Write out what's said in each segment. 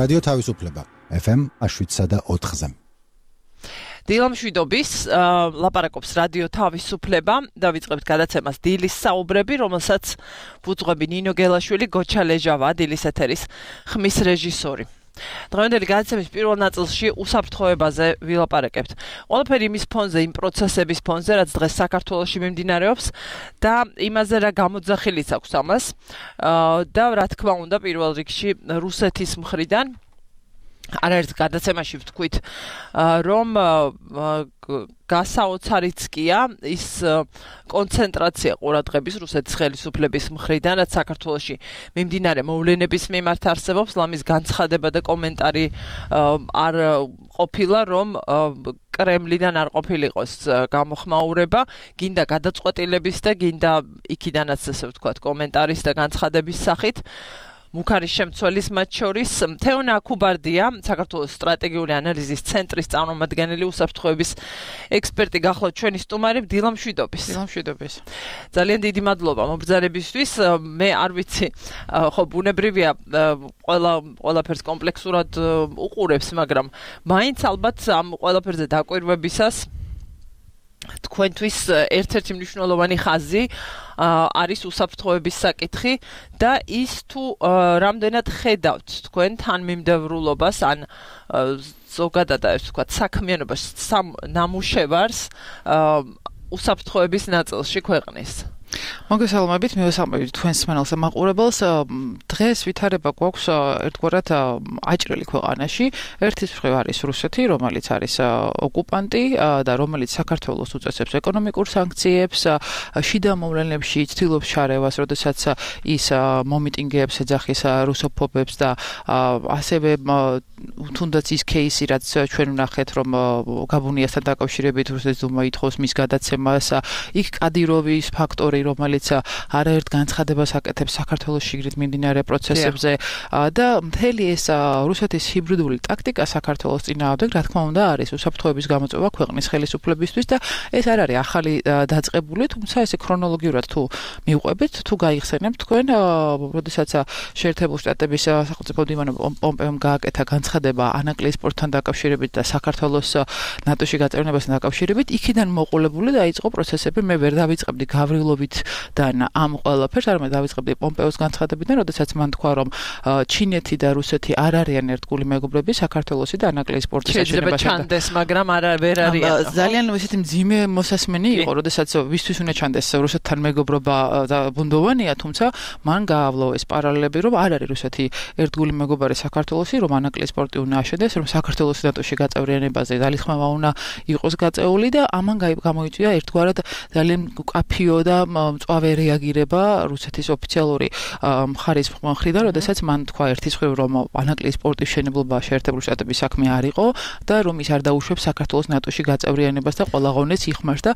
რადიო თავისუფლება FM 7.4-ზე. დილამშვიდობის ლაპარაკობს რადიო თავისუფლება და ვიწყებთ გადაცემას დილის საუბრები, რომელსაც ვუძღვები ნინო გელაშვილი, გოჩა ლეჟავა, დილის ეთერის ხმის რეჟისორი. დღევანდელი გადაცემის პირველ ნაწილში უსაფრთხოებაზე ვილაპარაკებთ. ყველაფერი იმის ფონზე, იმ პროცესების ფონზე, რაც დღეს საქართველოში მიმდინარეობს და იმაზე რა გამოძახილიც აქვს ამას და რა თქმა უნდა პირველ რიგში რუსეთის მხრიდან არაერთ გადაცემაში ვთქვით, რომ გასაოცარიც კია ის კონცენტრაცია ყურადღების რუსეთის ხელისუფლების მხრიდან, რაც საქართველოში მიმდინარე მოვლენების მიმართ არსებობს, ლამის განცხადება და კომენტარი არ ყოფილა, რომ კრემლიდან არ ყოფილიყოს გამოხმაურება, გინდა გადაწყვეტილების და გინდა იქიდანაც ასე ვთქვათ კომენტარის და განცხადების სახით. მუქარის შემცველის მათ შორის თეონა აკუბარდია, საქართველოს სტრატეგიული ანალიზის ცენტრის წარმომადგენელი, უსაფრთხოების ექსპერტი გახლავთ ჩვენი სტუმარი. დილამშვიდობის. დილამშვიდობის. ძალიან დიდი მადლობა მობრძანებისთვის. მე არ ვიცი, ხო ბუნებრივია ყველაფერს კომპლექსურად უყურებს, მაგრამ მაინც ალბათ ამ ყველაფერზე დაკვირვებისას თქვენთვის ერთ-ერთი მნიშვნელოვანი ხაზი არის უსაფრთხოების საკითხი და ის თუ რამდენად ხედავთ თქვენ თანმიმდევრულობას ან ზოგადად ასე ვთქვათ საქმიანობას ნამუშევარს უსაფრთხოების ნაწილში ქვეყნის. მოგესალმებით, მივესალმებით თქვენს მსმენელს და მაყურებელს. დღეს ვითარება გვაქვს ერთგვარად აჭრელი ქვეყანაში. ერთის მხრივ არის რუსეთი, რომელიც არის ოკუპანტი და რომელიც საქართველოს უწესებს ეკონომიკურ სანქციებს, შიდა მოვლენებში ცდილობს შარევას, როდესაც ის მომიტინგეებს ეძახის რუსოფობებს და ასევე თუნდაც ის кейსი, რაც ჩვენ ვნახეთ, რომ გაბუნიასთან დაკავშირებით რუსეთის დუმა ითხოვს მის გადაცემას, იქ კადიროვის ფაქტორი, რომელიც არაერთ განცხადებას აკეთებს საქართველოს შიგნით მიმდინარე პროცესებზე და მთელი ეს რუსეთის ჰიბრიდული ტაქტიკა საქართველოს წინააღმდეგ, რა თქმა უნდა, არის უსაფრთხოების გამოწვევა ქვეყნის ხელისუფლებისთვის და ეს არ არის ახალი დაწყებული, თუმცა ესე ქრონოლოგიურად თუ მივყვებით, თუ გაიხსენებთ თქვენ, როდესაც შეერთებულ შტატების სახელმწიფო დივანმა პომპეომ გააკეთა განცხადება ანაკლიის პორტთან დაკავშირებით და საქართველოს ნატოში გაწევრიანებასთან დაკავშირებით, იქიდან მოყოლებული დაიწყო პროცესები. მე ვერ დავიწყებდი გავრილოვით და ამ ყველაფერს, არამედ დავიწყებდი პომპეოს განცხადებიდან, როდესაც მან თქვა, რომ ჩინეთი და რუსეთი არ არიან ერთგული მეგობრები საქართველოსი და ანაკლიის პორტის შეიძლება ჩანდეს, მაგრამ ვერ არიან. ძალიან ესეთი მძიმე მოსასმენი იყო, როდესაც ვისთვის უნდა ჩანდეს რუსეთთან მეგობრობა და ბუნდოვანია, თუმცა მან გაავლო ეს პარალელები, რომ არ არის რუსეთი ერთგული მეგობარი საქართველოსი, რომ ანაკლიის პორტი უნდა აშენდეს, რომ საქართველოს ნატოში გაწევრიანებაზე ძალისხმევა უნდა იყოს გაწეული და ამან გამოიწვია ერთგვარად ძალიან კაფიო და მწვავე რეაგირება რუსეთის ოფიციალური მხარის მხრიდან, როდესაც მან თქვა ერთის მხრივ, რომ ანაკლიის პორტის მშენებლობა შეერთებული შტატების საქმე არ იყო და რომ ის არ დაუშვებს საქართველოს ნატოში გაწევრიანებას და ყველა ღონეს იხმარს და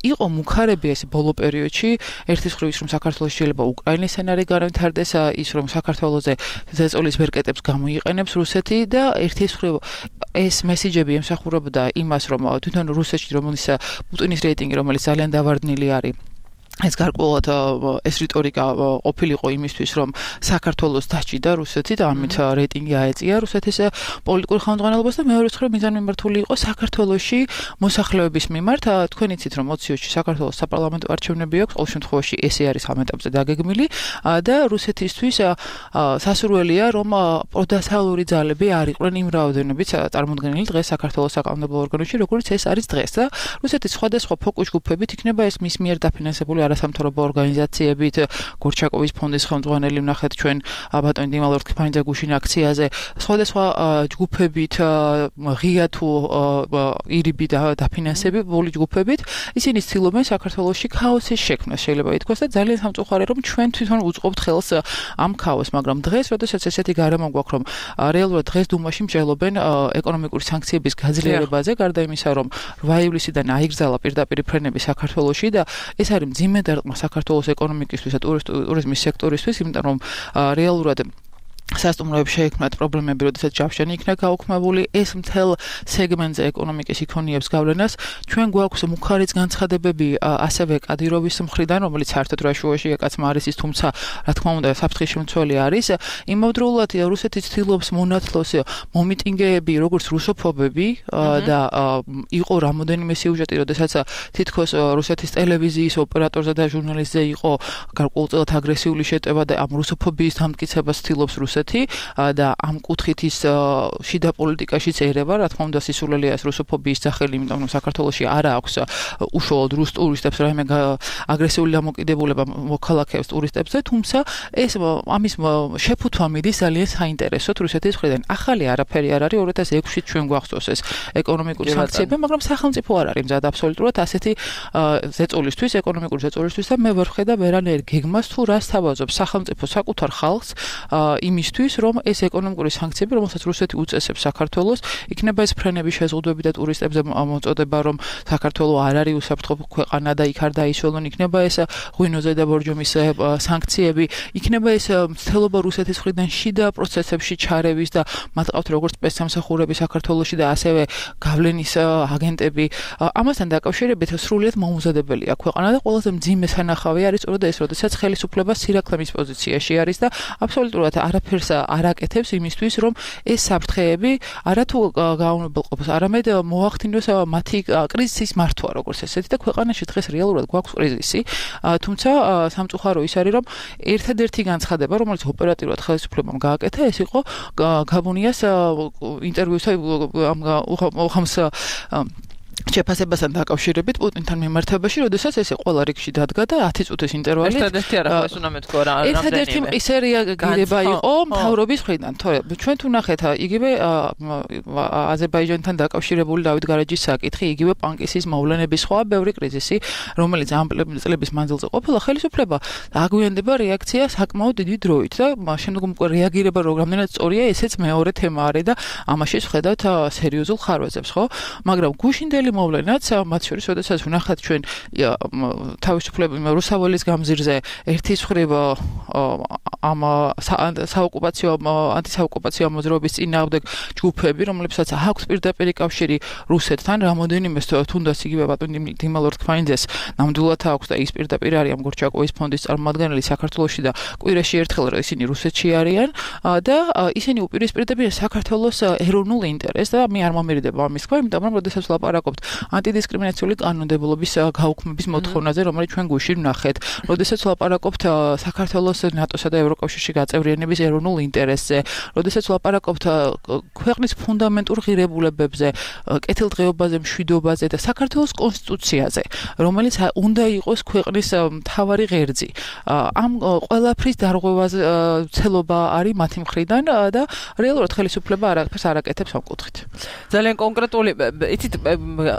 იყო მუქარები ეს ბოლო პერიოდში, ერთის მხრივ ის, რომ საქართველოს შეიძლება უკრაინის სცენარი განვითარდეს, ის რომ საქართველოზე ზეწოლის ბერკეტებს გამოიყენებს რუსეთი და ერთის მხრივ ეს მესიჯები ემსახურებოდა იმას, რომ თვითონ რუსეთში რომელიც პუტინის რეიტინგი, რომელიც ძალიან დავარდნილი არის, ეს გარკვეულად ეს რიტორიკა ყოფილიყო იმისთვის, რომ საქართველოს დაჭიდა რუსეთი და ამით რეიტინგი აეწია რუსეთის პოლიტიკურ ხელმძღვანელობას და მეორე მხრივ მიზანმიმართული იყო საქართველოში მოსახლეობის მიმართ. თქვენ იცით, რომ 20-ში საქართველოს საპარლამენტო არჩევნები აქვს, ყოველ შემთხვევაში ესე არის ამ ეტაპზე დაგეგმილი და რუსეთისთვის სასურველია, რომ პროდასალური ძალები არ იყვნენ იმ რაოდენობით წარმოდგენილი დღეს საქართველოს საკანონმდებლო ორგანოში, როგორც ეს არის დღეს და რუსეთის სხვადასხვა ფოკუს ჯგუფებით იქნება ეს მის მიერ დაფინანსებული არასამთავრობო ორგანიზაციებით, გორჩაკოვის ფონდის ხელმძღვანელი ვნახეთ ჩვენ ბატონი დიმალ ორთქიფანიძე გუშინ აქციაზე, სხვადასხვა ჯგუფებით, ღია თუ ირიბი დაფინანსებული ჯგუფებით, ისინი ცდილობენ საქართველოში ქაოსის შექმნას, შეიძლება ითქვას და ძალიან სამწუხარია, რომ ჩვენ თვითონ უწყობთ ხელს ამ ქაოსს, მაგრამ დღეს, როდესაც ესეთი გარემო გვაქვს, რომ რეალურად დღეს დუმაში მსჯელობენ ეკონომიკური სანქციების გაძლიერებაზე, გარდა იმისა, რომ 8 ივლისიდან აიგზალა პირდაპირ ფრენები საქართველოში და ეს არის მძიმე დარტყმა საქართველოს ეკონომიკისთვის და ტურიზმის სექტორისთვის, იმიტომ რომ რეალურად სასტუმროებში შეიქმნათ პრობლემები, როდესაც ჯავშანი იქნა გაუქმებული, ეს მთელ სეგმენტზე ეკონომიკის იქონიებს გავლენას. ჩვენ გვაქვს მუხარიც განცხადებები ასევე კადიროვის მხრიდან, რომელიც საერთოდ რაშუაშია კაცმა არის ის, თუმცა რა თქმა უნდა საფრთხის შემცველი არის. იმავდროულად რუსეთი ცდილობს მონათლოს მომიტინგეები, როგორც რუსოფობები და იყო რამოდენიმე სიუჟეტი, როდესაც თითქოს რუსეთის ტელევიზიის ოპერატორზე და ჟურნალისტზე იყო გარკვეულწილად აგრესიული შეტევა და ამ რუსოფობიის დამტკიცებას ცდილობს რუსეთი და ამ კუთხით ის შიდა პოლიტიკაშიც ერევა, რა თქმა უნდა სისულელია ეს რუსოფობიის სახელი, იმიტომ რომ საქართველოში არ აქვს უშუალოდ რუს ტურისტებს რაიმე აგრესიული დამოკიდებულება მოქალაქეებს ტურისტებზე, თუმცა ეს ამის შეფუთვა მიდის ძალიან საინტერესოდ რუსეთის მხრიდან. ახალი არაფერი არ არის 2006-ში ჩვენ გვახსოვს ეს ეკონომიკური სანქციები, მაგრამ სახელმწიფო არ არის მზად აბსოლუტურად ასეთი ზეწოლისთვის, ეკონომიკური ზეწოლისთვის და მე ვერ ვხედავ ვერანაირ გეგმას თუ რას თავაზობს სახელმწიფო საკუთარ ხალხს იმისთვის, რომ ეს ეკონომიკური სანქციები, რომელსაც რუსეთი უწესებს საქართველოს, იქნება ეს ფრენები შეზღუდვები და ტურისტებზე მოწოდება, რომ საქართველო არ არის უსაფრთხო ქვეყანა და იქ არ დაიშველონ, იქნება ეს ღვინოზე და ბორჯომის სანქციები, იქნება ეს მცდელობა რუსეთის მხრიდან შიდა პროცესებში ჩარევის და მათ ყავთ როგორც სპეცსამსახურები საქართველოში და ასევე გავლენის აგენტები. ამასთან დაკავშირებით სრულიად მოუმზადებელია ქვეყანა და ყველაზე მძიმე სანახავი არის სწორედ ეს, როდესაც ხელისუფლება სირაქლემის პოზიციაში არის და აბსოლუტურად არაფერს არ აკეთებს იმისთვის, რომ ეს საფრთხეები არათუ გაუნებელყოფოს, არამედ მოახდინოს მათი კრიზისის მართვა, როგორც ესეთი და ქვეყანაში დღეს რეალურად გვაქვს კრიზისი. თუმცა სამწუხარო ის არის, რომ ერთადერთი განცხადება, რომელიც ოპერატიულად ხელისუფლებამ გააკეთა, ეს იყო გაბონიას ინტერვიუსა უხამს შეფასებასთან დაკავშირებით პუტინთან მიმართებაში, როდესაც ესე ყველა რიგში დადგა და 10 წუთის ინტერვალი. ერთადერთი არა, ეს უნდა მეთქვა რა. ერთადერთი მყისე რეაგირება იყო მთავრობის მხრიდან. თორემ ჩვენ თუ ნახეთ იგივე აზერბაიჯანთან დაკავშირებული დავით გარეჯის საკითხი, იგივე პანკისის მოვლენების სხვა ბევრი კრიზისი, რომელიც ამ წლების მანძილზე ყოფილა, ხელისუფლება აგვიანდება რეაქცია საკმაოდ დიდი დროით და შემდგომ უკვე რეაგირება რამდენად სწორია, ესეც მეორე თემა არის და ამაში ვხედავთ სერიოზულ ხარვეზებს, ხო? მაგრამ გუშინდელი მოვლენაც მათ შორის, როდესაც ვნახავთ ჩვენ თავისუფლების რუსაველის გამზირზე ერთის მხრივ ამ საოკუპაციო ანტისაოკუპაციო მოძრაობის წინააღმდეგ ჯგუფები, რომლებსაც აქვს პირდაპირი კავშირი რუსეთთან, რამოდენიმე თუნდაც იგივე ბატონი დიმალორ თქმაინძეს ნამდვილად აქვს და ის პირდაპირ არის ამ გორჩაკოვის ფონდის წარმომადგენელი საქართველოში და კვირაში ერთხელ ისინი რუსეთში არიან და ისინი უპირისპირდებიან საქართველოს ეროვნულ ინტერესს და მე არ მომერიდება ამის თქვა, იმიტომ რომ როდესაც ვლაპარაკობთ ანტიდისკრიმინაციული კანონმდებლობის გაუქმების მოთხოვნაზე, რომელიც ჩვენ გუშინ ვნახეთ, როდესაც ვლაპარაკობთ საქართველოს ნატოსა და ევროკავშირში გაწევრიანების ეროვნულ ინტერესზე, როდესაც ვლაპარაკობთ ქვეყნის ფუნდამენტურ ღირებულებებზე, კეთილდღეობაზე, მშვიდობაზე და საქართველოს კონსტიტუციაზე, რომელიც უნდა იყოს ქვეყნის მთავარი ღერძი. ამ ყველაფრის დარღვევაზე ცელობა არის მათი მხრიდან და რეალურად ხელისუფლება არაფერს არ აკეთებს ამ კუთხით. ძალიან კონკრეტული, იცით,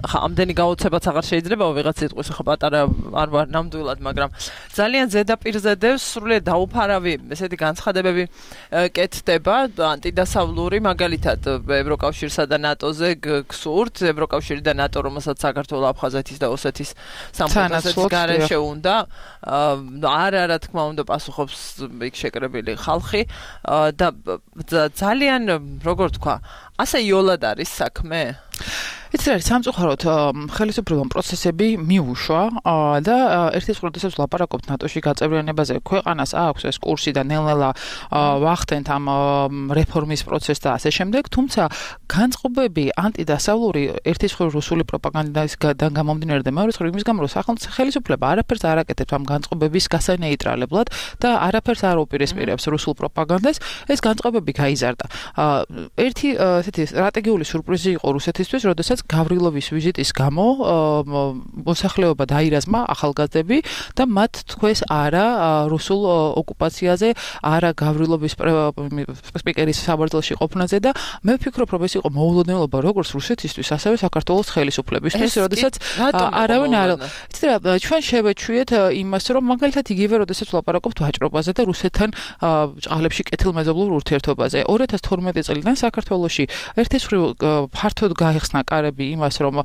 ამდენი გაოცებაც აღარ შეიძლება ვიღაც სიტყვის ხო პატარა არ ვარ ნამდვილად, მაგრამ ძალიან ზედაპირზე დევს სრულიად დაუფარავი ესეთი განცხადებები კეთდება ანტიდასავლური, მაგალითად ევროკავშირსა და ნატოზე გსურთ, ევროკავშირი და ნატო, რომელსაც საქართველოს, აფხაზეთის და ოსეთის სამხედრო გარეშე უნდა რა თქმა უნდა პასუხობს იქ შეკრებილი ხალხი და ძალიან როგორ თქვა, ასე იოლად არის საქმე? იცი რა, სამწუხაროდ ხელისუფლებამ პროცესები მიუშვა და ერთის პროცესებს ვლაპარაკობთ ნატოში გაწევრიანებაზე, ქვეყანას აქვს ეს კურსი და ნელ-ნელა ვახდენთ ამ რეფორმის პროცესს და ასე შემდეგ, თუმცა განწყობები ანტიდასავლური ერთის მხრივ რუსული პროპაგანდისგან გამომდინარე და მეორე მხრივ იმის გამო, რომ ხელისუფლება არაფერს არ აკეთებს ამ განწყობების გასანეიტრალებლად და არაფერს არ უპირისპირებს რუსულ პროპაგანდას, ეს განწყობები გაიზარდა. ერთი ესეთი სტრატეგიული სურპრიზი იყო რუსეთისთვის, როდესაც გავრილოვის ვიზიტის გამო მოსახლეობა დაირაზმა ახალგაზრდები და მათ თქვეს არა რუსულ ოკუპაციაზე, არა გავრილოვის სპიკერის საბრძოლოში ყოფნაზე და მე ვფიქრობ, რომ ეს იყო მოულოდნელობა როგორც რუსეთისთვის, ასევე საქართველოს ხელისუფლებისთვის, როდესაც არავინ არ იცით რა, ჩვენ შევეჩვიეთ იმას, რომ მაგალითად იგივე როდესაც ვლაპარაკობთ ვაჭრობაზე და რუსეთთან ჭაღლებში კეთილმეზობლურ ურთიერთობაზე. 2012 წლიდან საქართველოში ერთის მხრივ ფართოდ გაიხსნა კარები იმას, რომ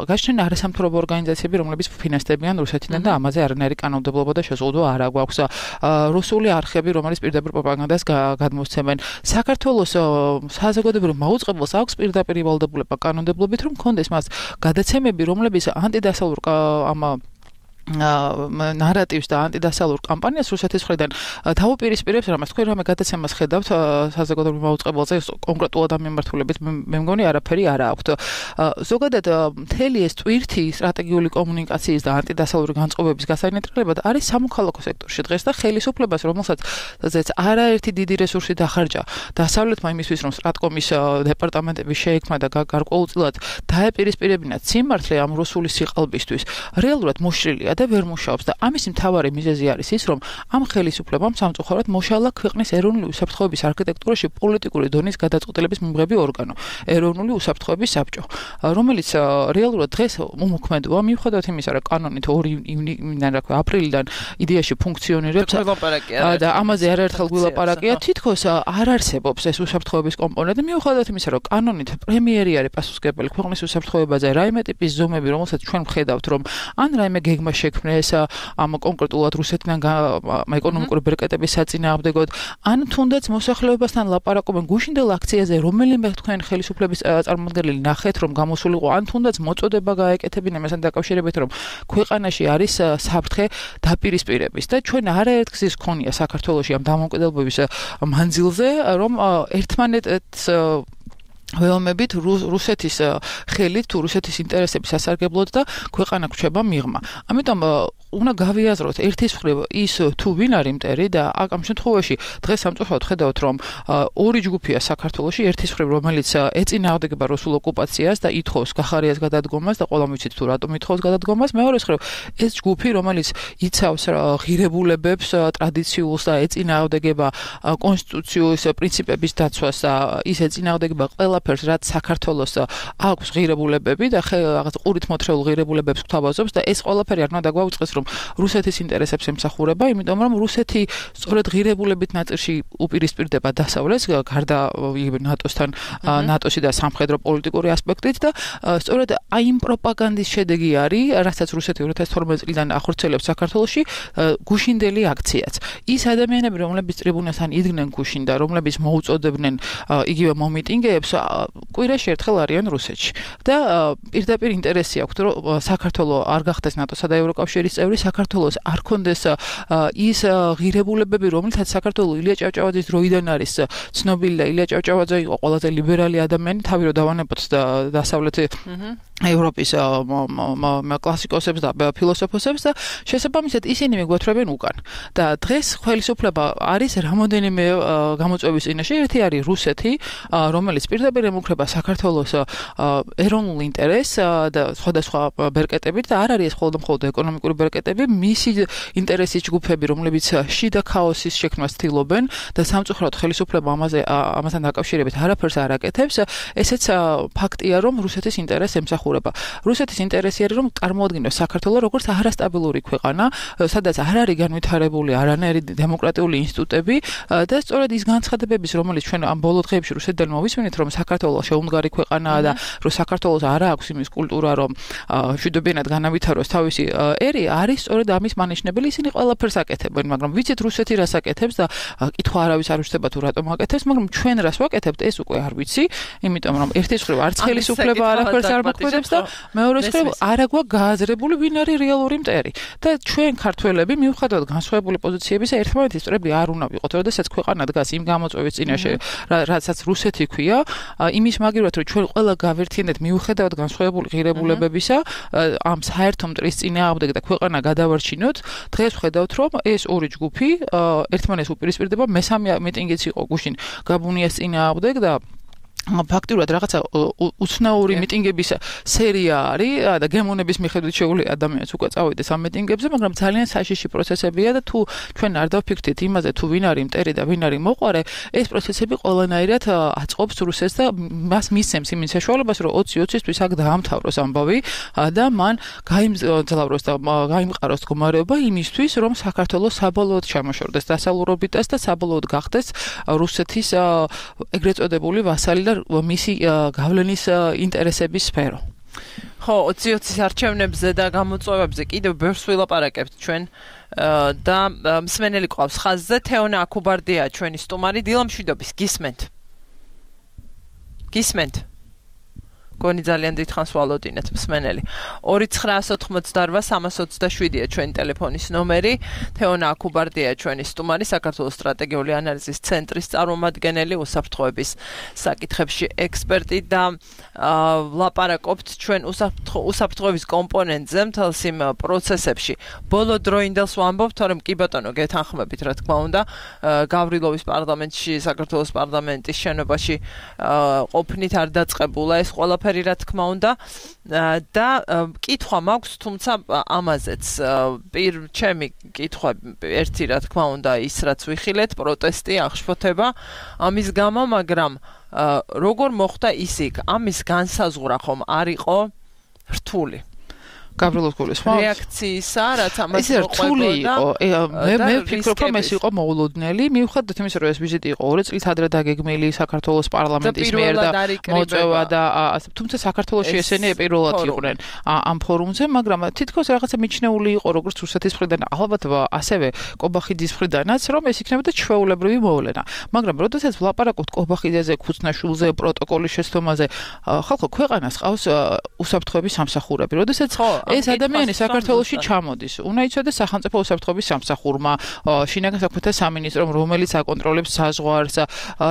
გაჩნდნენ არასამთავრობო ორგანიზაციები, რომლებიც ფინანსდებიან რუსეთიდან და ამაზე არანაირი კანონმდებლობა და შეზღუდვა არ აქვს. რუსული არხები, რომელიც პირდაპირ პროპაგანდას გადმოსცემენ. საქართველოს საზოგადოებრივ მაუწყებელს აქვს პირდაპირ ვალდებულება კანონმდებლობით, რომ კონდეს მას გადაცემები, რომლებიც ანტიდასალურ ნარატივს და ანტიდასალურ კამპანიას რუსეთის მხრიდან თავუპირისპირებს, რამაც თქვენ რამე გადაცემას ხედავთ საზოგადოებრივ მაუწყებელზე კონკრეტულად ამ მიმართულებით მე მგონი არაფერი არ აქვს. ზოგადად მთელი ეს ტვირთი სტრატეგიული კომუნიკაციის და ანტიდასალური განწყობების გასაინტერესებლად არის სამოქალაქო სექტორში დღეს და ხელისუფლებას, რომელსაც არაერთი დიდი რესურსი დახარჯა დასავლეთმა იმისთვის, რომ სტრატკომის დეპარტამენტები შეექმნა და გარკვეულწილად დაეპირისპირებინათ სიმართლე ამ რუსული სიყალბისთვის, რეალურად მოშლილია და ვერ მუშაობს და ამის მთავარი მიზეზი არის ის, რომ ამ ხელისუფლებამ სამწუხაროდ მოშალა ქვეყნის ეროვნული უსაფრთხოების არქიტექტურაში პოლიტიკური დონის გადაწყვეტილების მიმღები ორგანო, ეროვნული უსაფრთხოების საბჭო, რომელიც რეალურად დღეს უმოქმედოა მიუხედავად იმისა, რომ კანონით 2 ივნიდან აპრილიდან idეაში ფუნქციონირებს და ამაზე არაერთხელ გვილაპარაკია, თითქოს არ არსებობს ეს უსაფრთხოების კომპონენტი, მიუხედავად იმისა, რომ კანონით პრემიერი არის პასუხისმგებელი ქვეყნის უსაფრთხოებაზე, რაიმე ტიპის ზომები, რომელსაც ჩვენ ვხედავთ, რომ ან რაიმე გეგმა შექმნეს ამ კონკრეტულად რუსეთიდან ეკონომიკური ბერკეტების საწინააღმდეგოდ, ან თუნდაც მოსახლეობასთან ლაპარაკობენ გუშინდელ აქციაზე, რომელიმე თქვენ ხელისუფლების წარმომადგენელი ნახეთ, რომ გამოსულიყო, ან თუნდაც მოწოდება გაეკეთებინა მასთან დაკავშირებით, რომ ქვეყანაში არის საფრთხე დაპირისპირების და ჩვენ არაერთ გზის ქონია საქართველოში ამ დამოუკიდებლობის მანძილზე, რომ ერთმანეთს ველმებით რუსეთის ხელით თუ რუსეთის ინტერესების სასარგებლოდ და ქვეყანა გვჩება მიღმა. ამიტომ უნდა გავიაზროთ ერთის მხრივ ის თუ ვინ არის მტერი და ამ შემთხვევაში დღეს სამწუხაროდ ხედავთ, რომ ორი ჯგუფია საქართველოში, ერთის მხრივ რომელიც ეწინააღმდეგება რუსულ ოკუპაციას და ითხოვს გახარიას გადადგომას და ყველამ ვიცით თუ რატომ ითხოვს გადადგომას, მეორეს მხრივ ეს ჯგუფი რომელიც იცავს ღირებულებებს, ტრადიციულს და ეწინააღმდეგება კონსტიტუციის პრინციპების დაცვას და ის ეწინააღმდეგება ყველაფერს, რაც საქართველოს აქვს ღირებულებები და რაღაც ყურით მოთხრეულ ღირებულებებს გვთავაზობს და ეს ყველაფერი არ უნდა დაგვაუწყდეს, რომ რუსეთის ინტერესებს ემსახურება, იმიტომ რომ რუსეთი სწორედ ღირებულებით ნაწილში უპირისპირდება დასავლეთს, გარდა ნატოსთან, ნატოსი და სამხედრო პოლიტიკური ასპექტით და სწორედ აი იმ პროპაგანდის შედეგი არის, რასაც რუსეთი 2012 წლიდან ახორციელებს საქართველოში, გუშინდელი აქციაც. ის ადამიანები, რომლებიც ტრიბუნასთან იდგნენ გუშინ და რომლებიც მოუწოდებდნენ იგივე მომიტინგეებს, კვირაში ერთხელ არიან რუსეთში. და პირდაპირ ინტერესი აქვს, რომ საქართველო არ გახდეს ნატოსა და ევროკავშირის წევრი, საქართველოს არ კონდეს ის ღირებულებები, რომელთაც საქართველო ილია ჭავჭავაძის დროიდან არის ცნობილი და ილია ჭავჭავაძე იყო ყველაზე ლიბერალი ადამიანი, თავი რო დავანებოთ დასავლეთი ევროპის კლასიკოსებს და ფილოსოფოსებს და შესაბამისად ისინი მიგვეთრებენ უკან. და დღეს ხელისუფლება არის რამოდენიმე გამოწვევის წინაშე, ერთი არის რუსეთი, რომელიც პირდაპირ ემუქრება საქართველოს ეროვნულ ინტერესს და სხვადასხვა ბერკეტებით და არ არის მხოლოდ ეკონომიკური ბერკეტები, მისი ინტერესის ჯგუფები, რომლებიც შიდა ქაოსის შექმნას ცდილობენ და სამწუხაროდ ხელისუფლება ამასთან დაკავშირებით არაფერს არ აკეთებს, ესეც ფაქტია, რომ რუსეთის ინტერესს ემსახურება. რუსეთის ინტერესი არის, რომ წარმოადგინოს საქართველოს როგორც არასტაბილური ქვეყანა, სადაც არ არის განვითარებული არანაირი დემოკრატიული ინსტიტუტები და სწორედ ის განცხადებების, რომელიც ჩვენ ამ ბოლო დღეებში რუსეთიდან მოვისმენთ, რომ საქართველოს შეუმდგარი ქვეყანაა და რომ საქართველოს არ აქვს იმის კულტურა, რომ მშვიდობიანად განავითაროს თავისი ერი, არის სწორედ ამის მანიშნებელი, ისინი ყველაფერს აკეთებენ, მაგრამ ვიცით რუსეთი რას აკეთებს და კითხვა არავის არ უშდება თუ რატომ აკეთებს, მაგრამ ჩვენ რას ვაკეთებთ, ეს უკვე არ ვიცი, იმიტომ რომ ერთის მხრივ არც ხელისუფლება არაფერს არ მოქმედებს და მეორეს მხრივ არ აქვს გააზრებული ვინ არის რეალური მტერი. და ჩვენ ქართველები მიუხედავად განსხვავებული პოზიციებისა ერთმანეთის მტრები არ უნდა ვიყოთ, როდესაც ქვეყანა დგას იმ გამოწვევის წინაშე, რასაც რუსეთი ქვია, იმის მაგივრად რომ ჩვენ ყველა გავერთიანდეთ მიუხედავად განსხვავებული ღირებულებებისა, ამ საერთო მტრის წინააღმდეგ და ქვეყანა გადავარჩინოთ, დღეს ვხედავთ, რომ ეს ორი ჯგუფი ერთმანეთს უპირისპირდება, მესამე მიტინგიც იყო გუშინ გაბუნიას წინააღმდეგ და ფაქტიურად რაღაცა უცნაური მიტინგების სერია არის და გემონების მიხედვით შეუძლია ადამიანს უკვე წავიდეს ამ მიტინგებზე, მაგრამ ძალიან საშიში პროცესებია და თუ ჩვენ არ დავფიქრდით იმაზე, თუ ვინ არის მტერი და ვინ არის მოყვარე, ეს პროცესები ყველანაირად აწყობს რუსეთს და მას მისცემს იმის საშუალებას, რომ 20-20-ისთვის აქ დაამთავროს ამბავი და მან გაიმძლავროს და გაიმყაროს მდგომარეობა იმისთვის, რომ საქართველოს საბოლოოდ ჩამოშორდეს დასავლურობიტას და საბოლოოდ გახდეს რუსეთის ეგრეთ წოდებული ვასალი და არ მისი გავლენის ინტერესების სფერო. ხო, 20-20 არჩევნებზე და გამოწვევებზე კიდევ ბევრს ვილაპარაკებთ ჩვენ და მსმენელი ყავს ხაზზე თეონა აკუბარდია ჩვენი სტუმარი დილამშვიდობის გისმენთ გონი ძალიან დიდხანს ვალოდინეთ მსმენელი 2988327-ია ჩვენი ტელეფონის ნომერი თეონა აკუბარდია ჩვენი სტუმარი საქართველოს სტრატეგიული ანალიზის ცენტრის წარმომადგენელი უსაფრთხოების საკითხებში ექსპერტი და ლაპარაკობთ ჩვენ უსაფრთხოების კომპონენტზე მთელს იმ პროცესებში ბოლო დროინდელს ვამბობთ თორემ კი ბატონო გეთანხმებით რა თქმა უნდა გავრილოვის პარლამენტში საქართველოს პარლამენტის შენობაში ყოფნით არ დაწყებულა ეს ყველა რა თქმა უნდა და კითხვა მაქვს თუმცა ამაზეც ჩემი კითხვა ერთი რა თქმა უნდა ის რაც ვიხილეთ პროტესტი აღშფოთება ამის გამო მაგრამ როგორ მოხდა ისიქ ამის განსაზღვრა ხომ არ იყო რთული გავრილოს გულისხმობს რეაქციისა რაც ამას რთული იყო მე ვფიქრობ რომ ეს იყო მოულოდნელი მიუხედავად იმისა რომ ეს ვიზიტი იყო 2 წლით ადრე დაგეგმილი საქართველოს პარლამენტის მიერ და მოწვევა და თუმცა საქართველოში ესენი პირველად იყვნენ ამ ფორუმზე მაგრამ თითქოს რაღაცა მიჩნეული იყო როგორც რუსეთის მხრიდან ალბათ ასევე კობახიძის მხრიდანაც რომ ეს იქნებოდა ჩვეულებრივი მოვლენა მაგრამ როდესაც ვლაპარაკობთ კობახიძეზე ქუცნაშვილზე პროტოკოლის შეცდომაზე ხალხო ქვეყანას ყავს უსაფრთხოების სამსახურები როდესაც ეს ადამიანი საქართველოში ჩამოდის. უნდა იცოდეს სახელმწიფო უსაფრთხოების სამსახურმა, შინაგან საქმეთა სამინისტრომ, რომელიც აკონტროლებს საზღვარს,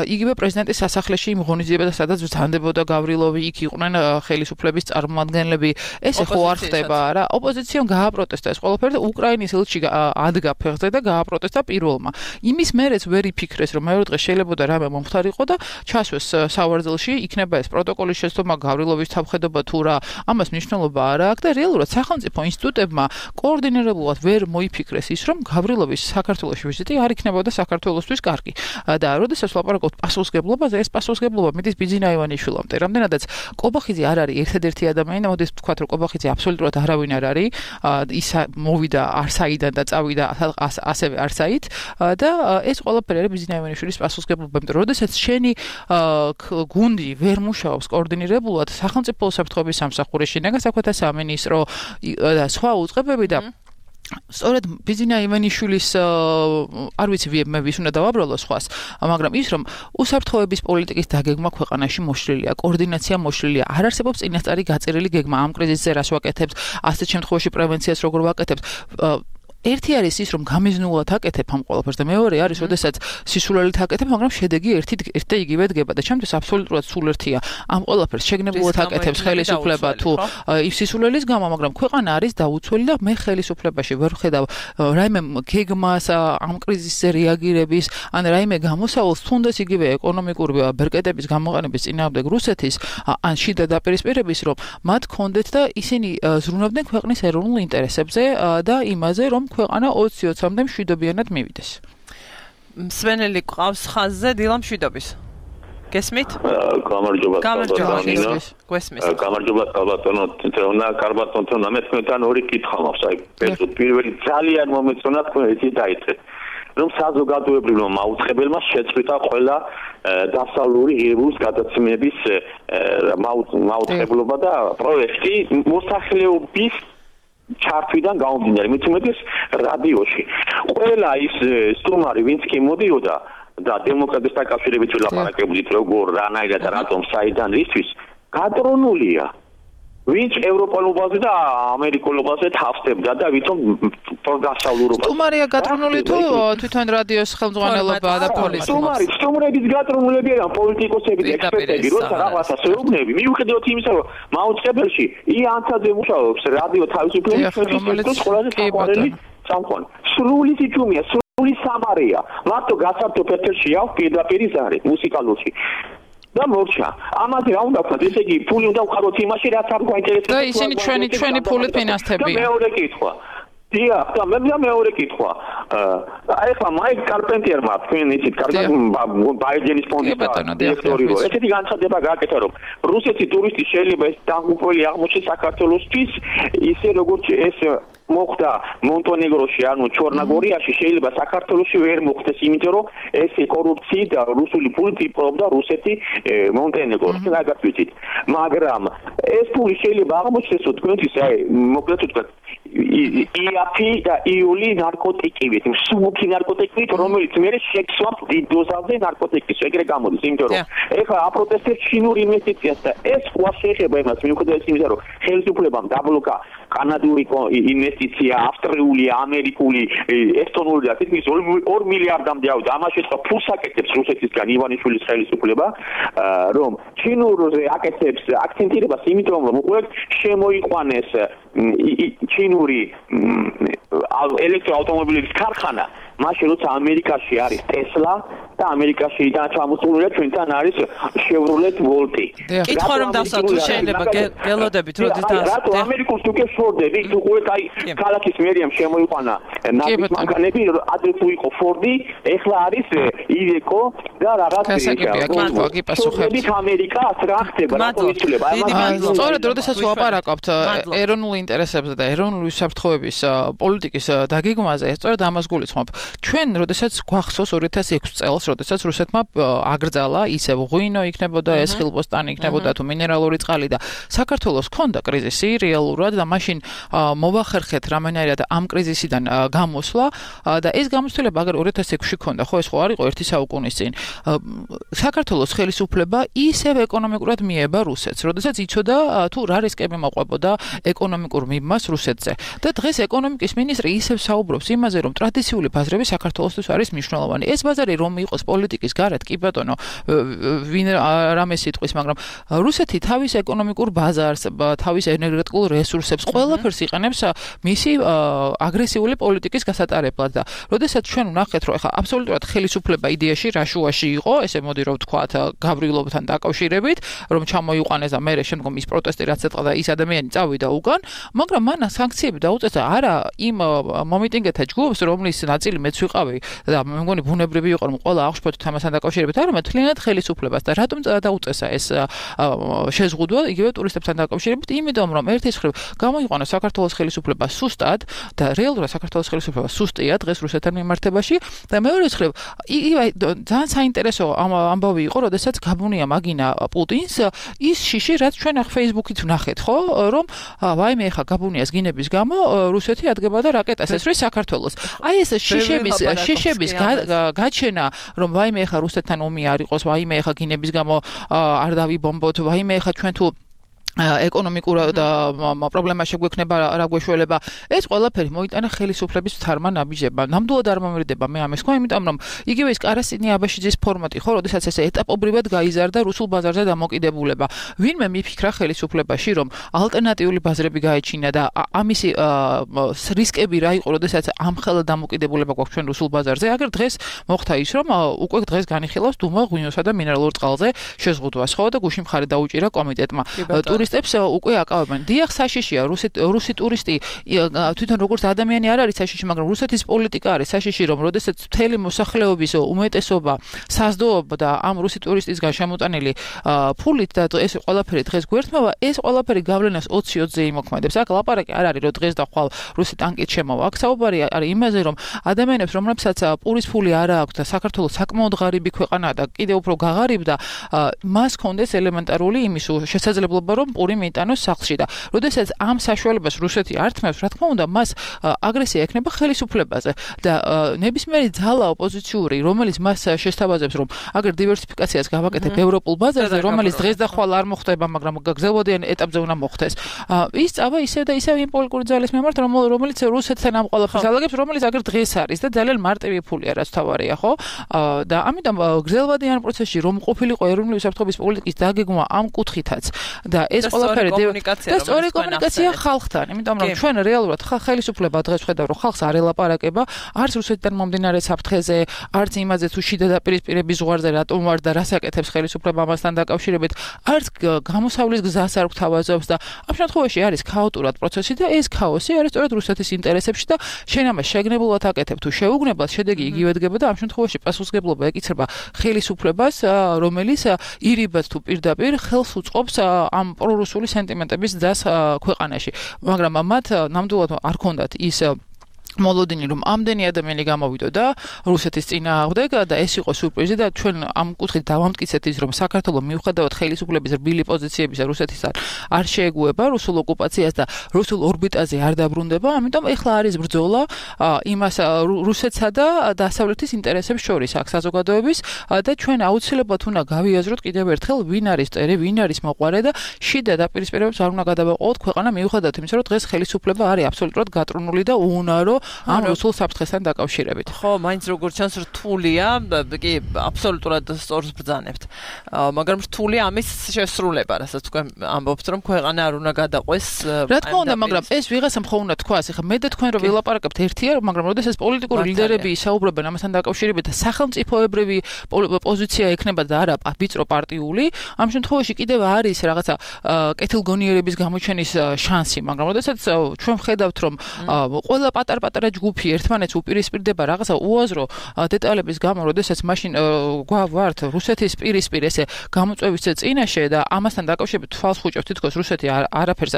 იგივე პრეზიდენტის სასახლეში იმ ღონისძიებათა, სადაც ბრძანდებოდა გავრილოვი, იქ იყვნენ ხელისუფლების წარმომადგენლები. ეს ხო არ ხდება რა. ოპოზიციამ გააპროტესტა ეს ყველაფერი და უკრაინის ელჩი ადგა ფეხზე და გააპროტესტა პირველმა. იმის მერეც ვერ იფიქრეს, რომ მეორე დღე შეიძლება რამე მომხდარიყო და ჩასვეს სავარძელში, იქნება ეს პროტოკოლის შეცდომა გავრილოვის თავხედობა თუ რა. ამას მნიშვნელობა არ აქვს და რეალურად სახელმწიფო ინსტიტუტებმა კოორდინირებულად ვერ მოიფიქრეს ის, რომ გავრილოვის საქართველოში ვიზიტი არ იქნებოდა საქართველოსთვის კარგი. და როდესაც ვლაპარაკობთ პასუხისგებლობაზე, ეს პასუხისგებლობა მიდის ბიძინა ივანიშვილამდე. რამდენადაც კობახიძე არ არის ერთადერთი ადამიანი, და მოდით ვთქვათ, რომ კობახიძე აბსოლუტურად არავინ არ არის, ის მოვიდა არსაიდან და წავიდა ასევე არსაით და ეს ყველაფერი არის ბიძინა ივანიშვილის პასუხისგებლობა. იმიტომ რომ როდესაც შენი გუნდი ვერ მუშაობს კოორდინირებულად, სახელმწიფო უსაფრთხოების სამსახური, შინაგან საქმეთა სამინისტრო და სხვა უწყებები და სწორედ ბიძინა ივანიშვილის არ ვიცი მე ვის უნდა დავაბრალო სხვას მაგრამ ის რომ უსაფრთხოების პოლიტიკის დაგეგმა ქვეყანაში მოშლილია კოორდინაცია მოშლილია არ არსებობს წინასწარი გაწერილი გეგმა ამ კრიზისზე რას ვაკეთებთ ასეთ შემთხვევაში პრევენციას როგორ ვაკეთებთ ერთი არის ის რომ გამიზნულად აკეთებ ამ ყველაფერს და მეორე არის როდესაც სისულელით აკეთებ მაგრამ შედეგი ერთი და იგივე დგება და ჩემთვის აბსოლუტურად სულ ერთია ამ ყველაფერს შეგნებულად აკეთებს ხელისუფლება თუ სისულელის გამო მაგრამ ქვეყანა არის დაუცველი და მე ხელისუფლებაში ვერ ვხედავ რაიმე გეგმას ამ კრიზისზე რეაგირების ან რაიმე გამოსავალს თუნდაც იგივე ეკონომიკური ბერკეტების გამოყენების წინააღმდეგ რუსეთის ან შიდა დაპირისპირების რომ მათ კონდეთ და ისინი ზრუნავდნენ ქვეყნის ეროვნულ ინტერესებზე და იმაზე რომ ქვეყანა 20-20-მდე მშვიდობიანად მივიდეს. მსმენელი ყავს ხაზზე დილამშვიდობის. გესმით? გამარჯობა. გესმის. გამარჯობა ბატონო თეონა, კარბატონო, მე თქვენთან ორი კითხვა მაქვს. აი, პირველი ძალიან მომეწონა თქვენ ისე დაიწყეთ. რომ საზოგადოებრივმა მაუწყებელმა შეწყვიტა ყველა დასავლური ღირებულის გადაცემების მაუწყებლობა და პროექტი მოსახლეობის ჩართვიდან გამომდინარე, მით უმეტეს რადიოში. ყველა ის სტუმარი, ვინც კი მოდიოდა და დემოკრატიის დაკავშირებით ვილაპარაკებდით, როგორ, რანაირად, რატომ, საიდან, ისთვის, გატრონულია. ვინც ევროპელობაზე და ამერიკულობაზე თავსდებდა და ვითომ დასავლურობაზე. სტუმარია გატრონული თუ თვითონ რადიოს ხელმძღვანელობა და პოლიცია? სტუმრების გატრონულები არიან პოლიტიკოსები და ექსპერტები, როცა რაღაცას ეუბნები, მიუხედავად იმისა, რომ მაუწყებელში იანცაძე მუშაობს რადიო თავისუფლების ჩვენთვის ყველაზე საყვარელი სამყარო. სრული სიჩუმეა, სრული სამარია. მარტო გასართო პეტრში აქვს პირდაპირი ზარი მუსიკალურში. და მორჩა. ამაზე რა უნდა ვთქვათ, ესე იგი ფული უნდა ვხაროთ იმაში, რაც არ გვაინტერესებს. და ისინი ჩვენი ფულით ფინანსდებიან. მეორე კითხვა. დიახ, და მეორე კითხვა. აი ხა მაიკ კარპენტიერმა თქვენ იცით, კარგად ბაიჯენის ფონდის დირექტორი ვარ. ესეთი განცხადება გააკეთა, რომ რუსეთის ტურისტი შეიძლება ეს დაღუპველი აღმოჩნდეს საქართველოსთვის, ისე როგორც ეს მოხდა მონტენეგროში, ანუ ჩორნოგორიაში, შეიძლება საქართველოში ვერ მოხდეს, იმიტომ რომ ეს კორუფციით და რუსული ფულით იპყრობდა რუსეთი მონტენეგროს, რაღაც ვიცით. მაგრამ ეს ფული შეიძლება აღმოჩნდეს თქვენთვის, მოკლედ ვთქვათ, იაფი და იული ნარკოტიკივით, მსუბუქი ნარკოტიკივით, რომელიც მერე შეცვლავს დიდ დოზაზე ნარკოტიკის, ეგრე გამოდის, იმიტომ რომ ეხლა აპროტესტებს ჩინურ ინვესტიციას და ეს ყვა შეეხება იმას, მიუხედავად იმისა, რომ ხელისუფლებამ დაბლოკა კანადური ინვესტიცია, ავსტრიული, ამერიკული, ესტონური და თითქმის 2 მილიარდამდე ავიდა. ამას შეწყდა ფულს აკეთებს რუსეთისგან ივანიშვილის ხელისუფლება, რომ ჩინურზე აკეთებს აქცენტირებას, იმიტომ რომ უკვე შემოიყვანეს ჩინური ელექტროავტომობილების ქარხანა, მაშინ როცა ამერიკაში არის Tesla და ამერიკაში და ჩამოსულია ჩვენთან არის Chevrolet Volt. კითხვა რომ დასვათ შეიძლება გელოდებით როდის რატო ამერიკულს თუ გეშორდები თუ ყურეთ აი ქალაქის მერიამ შემოიყვანა ნაფტის მანქანები ადრე თუ იყო Ford-ი ეხლა არის Iveco და რაღაც გიპასუხებთ ამერიკას რა ხდება რატო იცვლება სწორედ როდესაც ვაპარაკობთ ეროვნულ ინტერესებზე და ეროვნული უსაფრთხოების პოლიტიკის დაგეგმვაზე სწორედ ამას გულისხმობ ჩვენ როდესაც გვახსოვს 2006 წელს როდესაც რუსეთმა აგრძალა ისევ ღვინო იქნებოდა ეს ხილბოსტანი იქნებოდა თუ მინერალური წყალი და საქართველოს ჰქონდა კრიზისი რეალურად და მაშინ მოვახერხეთ რამენერად ამ კრიზისიდან გამოსვლა და ეს გამოცდილება აგერ 2006-ში ჰქონდა ხო ეს ხო არ იყო ერთი საუკუნის წინ საქართველოს ხელისუფლება ისევ ეკონომიკურად მიება რუსეთს როდესაც იცოდა თუ რა რისკები მოყვებოდა ეკონომიკურ მიმას რუსეთზე და დღეს ეკონომიკის მინისტრი ისევ საუბრობს იმაზე რომ ტრადიციული ბაზრები საქართველოსთვის არის მნიშვნელოვანი ეს ბაზარი რომ იყოს პოლიტიკის გარეთ კი ბატონო ვინ რამე სიტყვის მაგრამ რუსეთი თავის ეკონომიკურ ბაზარს თავის ენერგეტიკულ რესურსებს ყველაფერს იყენებს მისი აგრესიული პოლიტიკის გასატარებლად და როდესაც ჩვენ ვნახეთ რომ ეხა აბსოლუტურად ხელისუფლება იდეაში რაშუაში იყო ესე მოდი რომ ვთქვათ გაბრილობთან დაკავშირებით რომ ჩამოიყვანეს და მე შემდგომ ის პროტესტი რაც ეთყა და ის ადამიანი წავიდა უკან მაგრამ მან სანქციები დაუწესა არა იმ მომიტინგეთა ჯგუფს რომლის ნაწილი მეც ვიყავი და მე მგონი ბუნებრივი იყო რომ ყველა აღშფოთით ამასთან დაკავშირებით არამედ თლიანად ხელისუფლებას და რატომ დაუწესა ეს შეზღუდვა იგივე ტურისტებთან დაკავშირებით იმიტომ რომ ერთის მხრივ გამოიყვანა საქართველოს ხელისუფლება სუსტად და რეალურად საქართველოს ხელისუფლება სუსტია დღეს რუსეთთან მიმართებაში და მეორე მხრივ ძალიან საინტერესო ამბავი იყო როდესაც გაბუნია მაგინა პუტინს ის შიში რაც ჩვენ ახ Facebook-ით ვნახეთ ხო რომ ვაიმე ეხა გაბუნიას გინების გამო რუსეთი ადგება და რაკეტას ესვრის საქართველოს აი ეს შიშების გაჩენა რომ ვაიმე ეხა რუსეთთან ომი არ იყოს ვაიმე ეხა გინების გამო არ დავიბომბოთ ვაიმე ეხა ჩვენ თუ ეკონომიკურ და პრობლემა შეგვექნება რა გვეშველება ეს ყველაფერი მოიტანა ხელისუფლების თარმა ნაბიჯება ნამდვილად არ მომრიდება მე ამას ხო იმიტომ რომ იგივე ის კარასინი აბაშიძის ფორმატი ხო როდესაც ესე ეტაპობრივად გაიზარდა რუსულ ბაზარზე დამოკიდებულება ვინმე მიფიქრა ხელისუფლებაში რომ ალტერნატიული ბაზრები გაეჩინა და ამისი რისკები რა იყო როდესაც ამხელა დამოკიდებულება გვაქვს ჩვენ რუსულ ბაზარზე აგერ დღეს მოხდა ის რომ უკვე დღეს განიხილავს დუმა ღვინოსა და მინერალურ წყალზე შეზღუდვას ხო და გუშინ მხარი დაუჭირა კომიტეტმა ტურისტებს უკვე აკავებენ. დიახ, საშიშია, რუსი ტურისტი თვითონ როგორც ადამიანი არ არის საშიში, მაგრამ რუსეთის პოლიტიკა არის საშიში, რომ როდესაც მთელი მოსახლეობის უმეტესობა საზრდოობდა ამ რუსი ტურისტისგან შემოტანილი ფულით და ეს ყველაფერი დღეს გვერთმევა, ეს ყველაფერი გავლენას 20-20-ზე იმოქმედებს. აქ ლაპარაკი არ არის, რომ დღეს და ხვალ რუსი ტანკით შემოვა. აქ საუბარი არის იმაზე, რომ ადამიანებს, რომლებსაც პურის ფული არ აქვს და საქართველოს საკმაოდ ღარიბი ქვეყანაა და კიდევ უფრო გაღარიბ და მას ჰქონდეს ელემენტარული იმის შესაძლებლობა რომ პური მიიტანოს სახლში და როდესაც ამ საშუალებას რუსეთი ართმევს, რა თქმა უნდა, მას აგრესია ექნება ხელისუფლებაზე და ნებისმიერი ძალა ოპოზიციური, რომელიც მას შესთავაზებს, რომ აგერ დივერსიფიკაციას გავაკეთებ ევროპულ ბაზარზე, რომელიც დღეს და ხვალ არ მოხდება, მაგრამ გრძელვადიან ეტაპზე უნდა მოხდეს. ის წავა ისევ და ისევ იმ პოლიტიკური ძალის მიმართ, რომელიც რუსეთთან ამ ყველაფერს ალაგებს, რომელიც აგერ დღეს არის და ძალიან მარტივი ფულია, რაც თავარია, ხო? და ამიტომ გრძელვადიან პროცესში რომ ყოფილიყო ეროვნული უსაფრთხოების პოლიტიკის დაგეგმვა ამ კუთხითაც და ეს ყველაფერი და სწორი კომუნიკაცია ხალხთან, იმიტომ რომ ჩვენ რეალურად ხელისუფლება დღეს ხედავ რომ ხალხს არ ელაპარაკება, არც რუსეთიდან მომდინარე საფრთხეზე, არც იმაზე თუ შიდა დაპირისპირების ზღვარზე რატომ ვარ და რას აკეთებს ხელისუფლება ამასთან დაკავშირებით, არც გამოსავლის გზას არ გვთავაზობს და ამ შემთხვევაში არის ქაოტურად პროცესი და ეს ქაოსი არის სწორედ რუსეთის ინტერესებში და შენ ამას შეგნებულად აკეთებ თუ შეუგნებლად შედეგი იგივე დგება და ამ შემთხვევაში პასუხისმგებლობა ეკიცრება ხელისუფლებას, რომელიც ირიბად თუ პირდაპირ ხელს უწყობს ამ პრორუსული სენტიმენტების ძას ქვეყანაში. მაგრამ მათ ნამდვილად არ ქონდათ ის მოლოდინი რომ ამდენი ადამიანი გამოვიდო და რუსეთის წინააღმდეგ და ეს იყო სურპრიზი და ჩვენ ამ კუთხით დავამტკიცეთ ის რომ საქართველოს მიუხედავად ხელისუფლების რბილი პოზიციებისა რუსეთთან არ შეეგუება რუსულ ოკუპაციას და რუსულ ორბიტაზე არ დაბრუნდება, ამიტომ ეხლა არის ბრძოლა იმას რუსეთსა და დასავლეთის ინტერესებს შორის აქ საზოგადოების და ჩვენ აუცილებლად უნდა გავიაზროთ კიდევ ერთხელ ვინ არის წერი, ვინ არის მოყვარე და შიდა დაპირისპირებებს არ უნდა გადავაყოთ ქვეყანა მიუხედავად იმისა რომ დღეს ხელისუფლება არის აბსოლუტურად გატრუნული და უუნარო ამ რუსულ საფრთხესთან დაკავშირებით. ხო, მაინც როგორც ჩანს რთულია, კი, აბსოლუტურად სწორს ბრძანებთ. მაგრამ რთულია ამის შესრულება, რასაც თქვენ ამბობთ, რომ ქვეყანა არ უნდა გადაყვეს. რა თქმა უნდა, მაგრამ ეს ვიღაცამ ხო უნდა თქვას, ეხლა მე და თქვენ რომ ვილაპარაკებთ ერთია, მაგრამ როდესაც პოლიტიკური ლიდერები ისაუბრებენ ამასთან დაკავშირებით და სახელმწიფოებრივი პოზიცია ექნება და არა ვიწრო პარტიული, ამ შემთხვევაში კიდევ არის რაღაცა კეთილგონიერების გამოჩენის შანსი, მაგრამ როდესაც ჩვენ ხედავთ, რომ ყველა პატარ-პატარა ჯგუფი ერთმანეთს უპირისპირდება რაღაცა უაზრო დეტალების გამო, როდესაც მაშინ გვავართ რუსეთის პირისპირ ესე გამოწვევის წინაშე და ამასთან დაკავშირებით თვალს ხუჭავს თითქოს რუსეთი არაფერს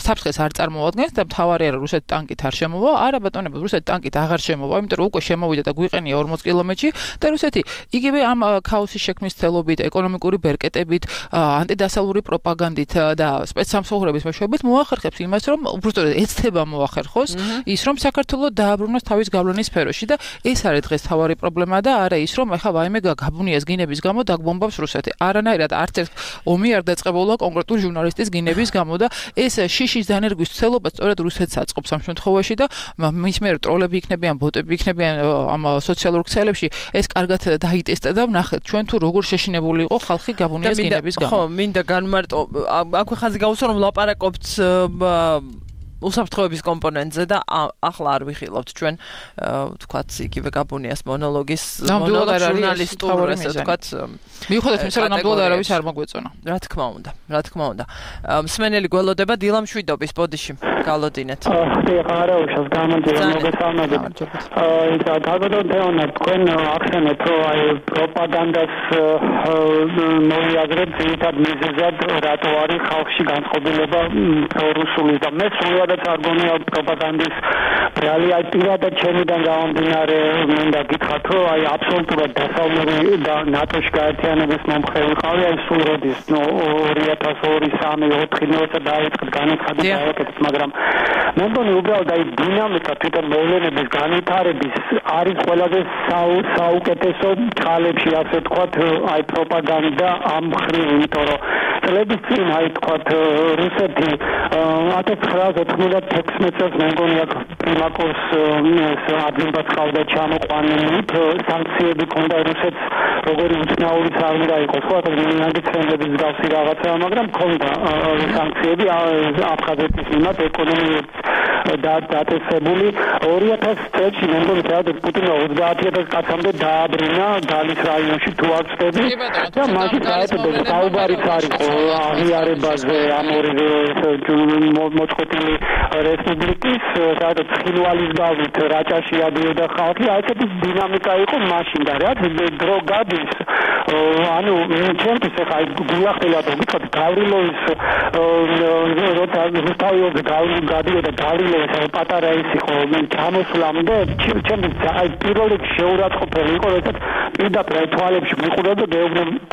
საფრთხეს არ წარმოადგენს და მთავარია რომ რუსეთი ტანკით არ შემოვა, არა ბატონებო, რუსეთი ტანკით აღარ შემოვა, იმიტომ რომ უკვე შემოვიდა და გვიყენია 40 კილომეტრში და რუსეთი იგივე ამ ქაოსის შექმნის ცდილობით, ეკონომიკური ბერკეტებით, ანტიდასავლური პროპაგანდით და სპეცსამსახურების მეშვეობით მოახერხებს იმას, რომ უბრალოდ ეცდება მოახერხოს ის რომ საქართველოს დააბრუნოს თავის გავლენის სფეროში და ეს არის დღეს თავარი პრობლემა და არა ის რომ ახლა ვაიმე გაბუნიას გინების გამო დაგბომბავს რუსეთი. არანაირად არც ერთ ომი არ დაწყებულა კონკრეტულ ჟურნალისტის გინების გამო და ეს შიშის დანერგვის ცდილობა სწორედ რუსეთს აწყობს ამ შემთხვევაში და მის მიერ ტროლები იქნებიან, ბოტები იქნებიან ამ სოციალურ ქსელებში ეს კარგად დაიტესტა და ვნახეთ ჩვენ თუ როგორ შეშინებული იყო ხალხი გაბუნიას გინების გამო. ხო, მინდა განმარტო აქვე ხაზი გავუსვა რომ ლაპარაკობთ უსაფრთხოების კომპონენტზე და ახლა არ ვიხილავთ ჩვენ თქვათ იგივე გაბუნიას მონოლოგის ჟურნალისტურ ესე თქვათ მიუხედავად იმისა რომ ნამდვილად არავის არ მოგვეწონა. რა თქმა უნდა. მსმენელი გველოდება დილამ შვიდობის ბოდიში გალოდინეთ. არა უშავს გამოდიან მოგესალმებით. თავდადოთ თეონა თქვენ ახსენეთ რომ აი პროპაგანდას მოიაზრებთ ძირითად მიზეზად რატო არის ხალხში განწყობილება პრორუსული და მე სულად არ გონია პროპაგანდის რეალი აი პირადად ჩემიდან გამომდინარე მინდა გითხრათ რომ აი აბსოლუტურად დასავლური და ნატოში გაერთიანების მომხრე ვიყავი აი სულ როდის 2002-2003-2004 დაიწყეთ განაცხადი დააკეთეთ მაგრამ მე მგონი უბრალოდ აი დინამიკა თვითონ მოვლენების განვითარების არის ყველაზე საუკეთესო წყალებში ასე ვთქვათ აი პროპაგანდა ამ მხრივ იმიტომ რომ წლების წინ აი ვთქვათ რუსეთი 1996 წელს მე მგონი აქ პრიმაკოს ადმინისტრაციას ყავდა ჩამოყვანილი სანქციები ქონდა რუსეთს როგორი უცნაური საქმე დაიყოს ხო მინაგიცენების გავსი რაღაცა მაგრამ ქონდა სანქციები აფხაზეთის მიმართ ეკონომიკურად დაწესებული 2000 წელს მე მგონი სადაც პუტინმა 30000 კაცამდე დააბრუნა გალის რაიონში თუ არ ვწდები და მაშინ დაეწოდა საუბარიც არის აღიარებაზე ამ ორივე მოწყობილი რესპუბლიკის სადაც ხილვალის გავლით რაჭაში ადიოდა ხალხი ასეთი დინამიკა იყო მაშინ და რა დრო გადის ანუ ჩემთვის ახლა გულახდილად ვიტყოდ გავრილოვის როცა რუსთავიოზე გადიოდა გავრილოვის პატარა ის იყო ჩამოსვლამდე ჩემთვის აი პირველ რიგში შეურაცხყოფელი იყო როდესაც პირდაპირ თვალებში მიყურებდა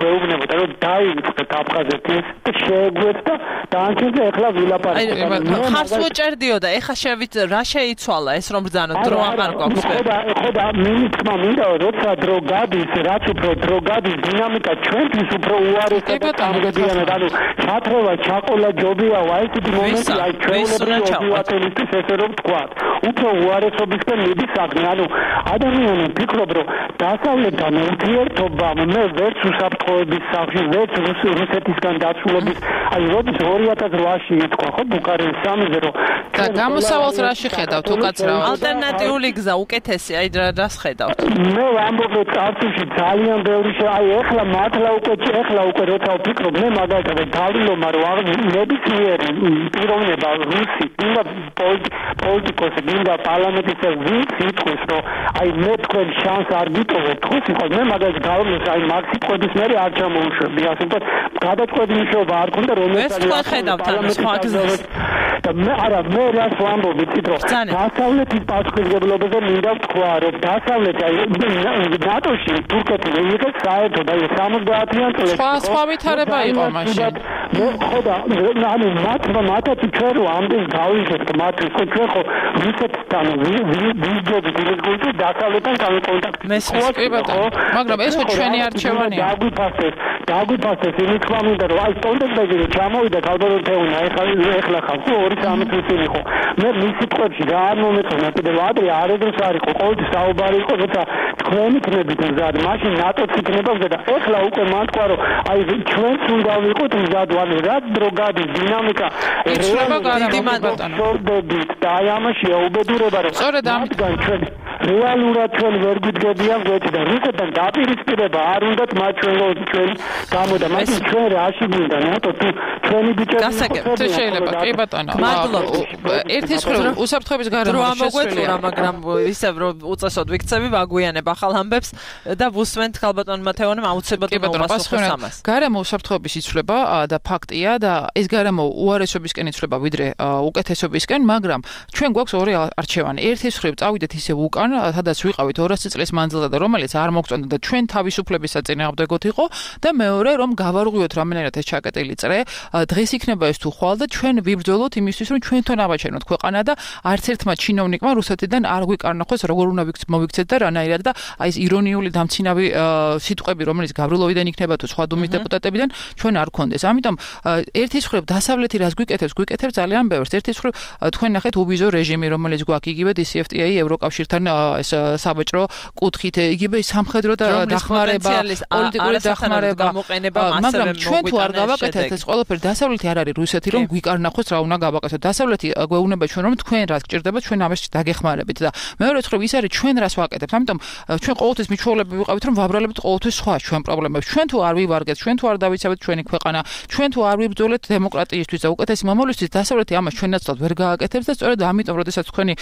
გეუბნებოდა რომ დაიწყეთ აფხაზეთის და შეეგვეცდა დაანჩენზე ახლა ვილაპარაკოთ ხარს უჭერდიოდა ეხა შევით რა შეიცვალა ეს რომ ბრძანოთ დრო აღარ გვაქვს ხო მინიჭმა მინდა როცა დრო გადის რაც უფრო დრო გადის დინამიკა ჩვენთვის უფრო უარესად გამგებიანად ანუ ჩათრევა ჩაყოლა ჯობია ესეთი მომენტი აი ჩვეულებრივი ოპერატორის ესე რომ თქვა უფრო უარესობისკენ მიდის საქმე ანუ ადამიანი ფიქრობ რომ დასავლეთთან ურთიერთობა მე ვერც უსაფრთხოების სახში ვერც რუსეთისგან დაცულობის აი როდის 2008-ში ითქვა ხო ბუქარესტის სამიზრო და გამოსავალს რა შეხედავთ უკაცრავად? ალტერნატიული გზა უკეთესი, აი რას ხედავთ? მე ვამბობ წარსულში ძალიან ბევრი აი ეხლა მართლა უკვე როცა ვფიქრობ მე მაგალითად დავილომა რომ ნებისმიერი პიროვნება რუსი ინდა პოლიტიკოსი ინდა პარლამენტის ვინც იტყვის რომ აი მე თქვენ შანს არ გიტოვებთ ხუს იყო მე მაგალითად დავილოს აი მაქსიკოდის მე არ ჩამოუშვები ასე ვთქვათ გადაწყვეტი მუშაობა არ ქონდა რომელიც ეს ხედავთ ამ სხვა გზას და მე არა მე რას ვამბობ იცით რომ დასავლეთის პასუხისმგებლობაზე მინდა ვთქვა რომ დასავლეთი აი ნატოში თურქეთი მიიღეს საერთოდ აი 70-იან წლებში სხვა ვითარება იყო მაშინ მე ხოდა ანუ მათაც ჩვენ რო ამდენ გავიხეთ მათ ჩვენ ხო რუსეთთან ვიზდებით იმის გულში დასავლეთთან გამოკონტაქტი მაგრამ ეს ხო ჩვენი არჩევანია დაგვიფასეს იმის თქმა მინდა რომ აი სტონდენბერგი ჩამოვიდა ქალბატონთეუნა ეხლა ხალხო 2-3 წელი იყო მე მისი ტყვებში რა არ მომეწონა კიდევ ადრე არედროს არ იყო ყოველთვის საუბარი იყო როცა თქვენი ქნებით მზად მაშინ ნატოც იქნება და ეხლა უკვე მან თქვა რომ აი ჩვენც უნდა ვიყოთ მზად ანუ რა დრო გადის დინამიკა იცვლება გარემოდებით და აი ამაშია უბედურება რომ სწორედ ამიტომ ჩვენ რეალურად ჩვენ ვერ გვიდგებიან გვერდით და რუსეთთან დაპირისპირება არ უნდათ მათ ჩვენ გამოდა მაგრამ ჩვენ რაში გვინდა ნატო თუ ჩვენი ბიჭები გასაგებთ შეიძლება კი ბატონო ერთის მხრივ უსაფრთხოების გარემო შეცვლილია მაგრამ ისევ რომ უწესოდ ვიქცევი ვაგვიანებ ახალ ამბებს და ვუსვენთ ქალბატონ მათეონემ აუცილებლად უმასუხოს ამას გარემო უსაფრთხოების იცვლება და ფაქტია და ეს გარემო უარესობისკენ იცვლება ვიდრე უკეთესობისკენ მაგრამ ჩვენ გვაქვს ორი არჩევანი ერთის მხრივ წავიდეთ ისევ უკან სადაც ვიყავით 200 წლის მანძილზე და რომელიც არ მოგწონდა და ჩვენ თავისუფლების საწინააღმდეგოდ იყო და მეორე რომ გავარღვიოთ რამენერად ეს ჩაკეტილი წრე დღეს იქნება ეს თუ ხვალ და ჩვენ ვიბრძოლოთ იმისთვის რომ ჩვენ თვითონ ავაჩენოთ ქვეყანა და არც ერთმა ჩინოვნიკმა რუსეთიდან არ გვიკარნახოს როგორ უნდა მოვიქცეთ და რანაირად და აი ეს ირონიული დამცინავი სიტყვები რომელიც გაბრილოვიდან იქნება თუ სხვა დუმის დეპუტატებიდან ჩვენ არ გქონდეს ამიტომ ერთის მხრივ დასავლეთი რას გვიკეთებს ძალიან ბევრს ერთის მხრივ თქვენ ნახეთ უბიზო რეჟიმი რომელიც გვაქვს იგივე DCFTA ევროკავშირთან ეს საბჭრო კუთხით იგივე სამხედრო დახმარება პოლიტიკური დახმარება მაგრამ ჩვენ თუ არ გავაკეთებთ ეს ყველაფერი დასავლეთი არ არის რუსეთი რომ გვიკარნახოს რა უნდა გავაკეთოთ დასავლეთი გვეუბნება ჩვენ რომ თქვენ რას გჭირდება ჩვენ ამას დაგეხმარებით და მეორე მხრივ ის არის ჩვენ რას ვაკეთებთ ამიტომ ჩვენ ყოველთვის მიჩვეულები ვიყავით რომ ვაბრალებთ ყოველთვის სხვა ჩვენ პრობლემებს ჩვენ თუ არ ვივარგეთ ჩვენ თუ არ დავიცავთ ჩვენი ქვეყანა ჩვენ თუ არ ვიბრძოლეთ დემოკრატიისთვის და უკეთესი მომავლისთვის დასავლეთი ამას ჩვენაცვლად ვერ გააკეთებს და სწორედ ამიტომ როდესაც თქვენი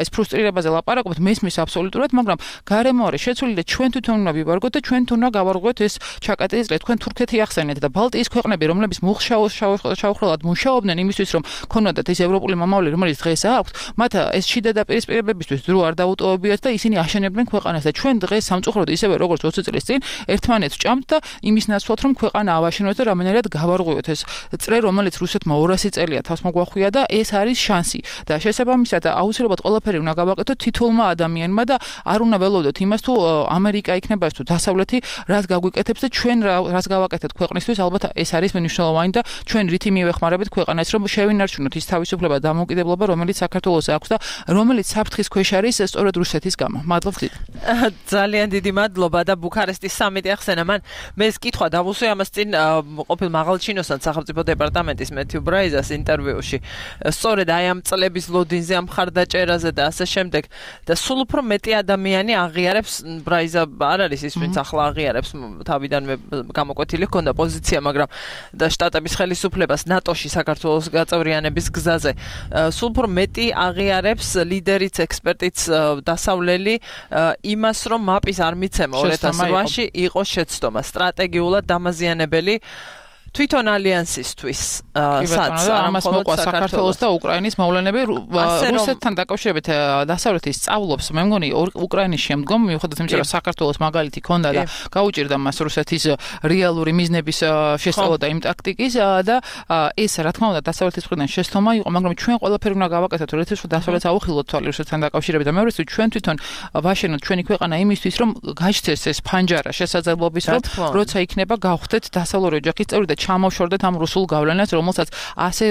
ეს ფრუსტრირებაზე ლაპარაკობთ მესმის აბსოლუტურად მაგრამ გარემო არის შეცვლილი და ჩვენ თვითონ უნდა ვივარგოთ და ჩვენ თუნდა გავარღვიოთ ეს ჩაკეტილი წრე თქვენ თურქეთი ახსენეთ და ბალტიის ქვეყნები რომლებიც მუხშაოშაოხრალად მუშაობდნენ იმისთვის რომ ქონოდათ ეს ევროპული მომავალი რომელიც დღეს აქვს მათ ეს შიდა დაპირისპირებებისთვის დრო არ დაუტოვებიათ და ისინი აშენებდნენ ქვეყანას და ჩვენ დღეს სამწუხაროდ ისევე როგორც 20 წლის წინ ერთმანეთს ჭამთ და იმის ნაცვლად რომ ქვეყანა ავაშენოთ და რამენერად გავარღვიოთ ეს წრე რომელიც რუსეთმა 200 წელია თავს მოგვახვია და ეს არის შანსი და შესაბამისად აუცილებლად ყველაფერი უნდა გავაკეთოთ თითოეულმა ადამიანმა და არ უნდა ველოდოთ იმას თუ ამერიკა იქნება თუ დასავლეთი რას გაგვიკეთებს და ჩვენ რას გავაკეთეთ ქვეყნისთვის ალბათ ეს არის მნიშვნელოვანი და ჩვენ რითი მივეხმარებით ქვეყანას რომ შევინარჩუნოთ ის თავისუფლება და დამოუკიდებლობა რომელიც საქართველოს აქვს და რომელიც საფრთხის ქვეშ არის სწორედ რუსეთის გამო. მადლობთ. ძალიან დიდი მადლობა და ბუქარესტის სამიტი ახსენა მან მე ეს კითხვა დავუსვე ამას წინ ყოფილ მაღალჩინოსთან სახელმწიფო დეპარტამენტის მეთიუ ბრაიზას ინტერვიუში სწორედ აი ამ წლების ლოდინზე ამ მხარდაჭერაზე და ასე შემდეგ და სულ უფრო მეტი ადამიანი აღიარებს ბრაიზა არ არის ის ვინც ახლა აღიარებს თავიდანვე გამოკვეთილი ჰქონდა პოზიცია მაგრამ და შტატების ხელისუფლებას ნატოში საქართველოს გაწევრიანების გზაზე სულ უფრო მეტი აღიარებს ლიდერიც ექსპერტიც დასავლელი იმას რომ მაპის არ მიცემა 2008-ში იყო შეცდომა სტრატეგიულად დამაზიანებელი თვითონ ალიანსისთვის სადაც ამას მოყვა საქართველოს და უკრაინის მოვლენები რუსეთთან დაკავშირებით დასავლეთის სწავლობს მე მგონი უკრაინის შემდგომ მიუხედავად იმისა რომ საქართველოს მაგალითი ქონდა და გაუჭირდა მას რუსეთის რეალური მიზნების შესწავლა და იმ ტაქტიკის და ეს რა თქმა უნდა დასავლეთის მხრიდან შეცდომა იყო მაგრამ ჩვენ ყველაფერი უნდა გავაკეთოთ როდესაც დასავლეთს აუხილოთ თვალი რუსეთთან დაკავშირებით და მეორე ჩვენ თვითონ ვაშენოთ ჩვენი ქვეყანა იმისთვის რომ გაჩნდეს ეს ფანჯარა შესაძლებლობის რომ როცა იქნება გავხდეთ დასავლური ოჯახის წევრი და ჩამოვშორდეთ ამ რუსულ გავლენას, რომელსაც ასე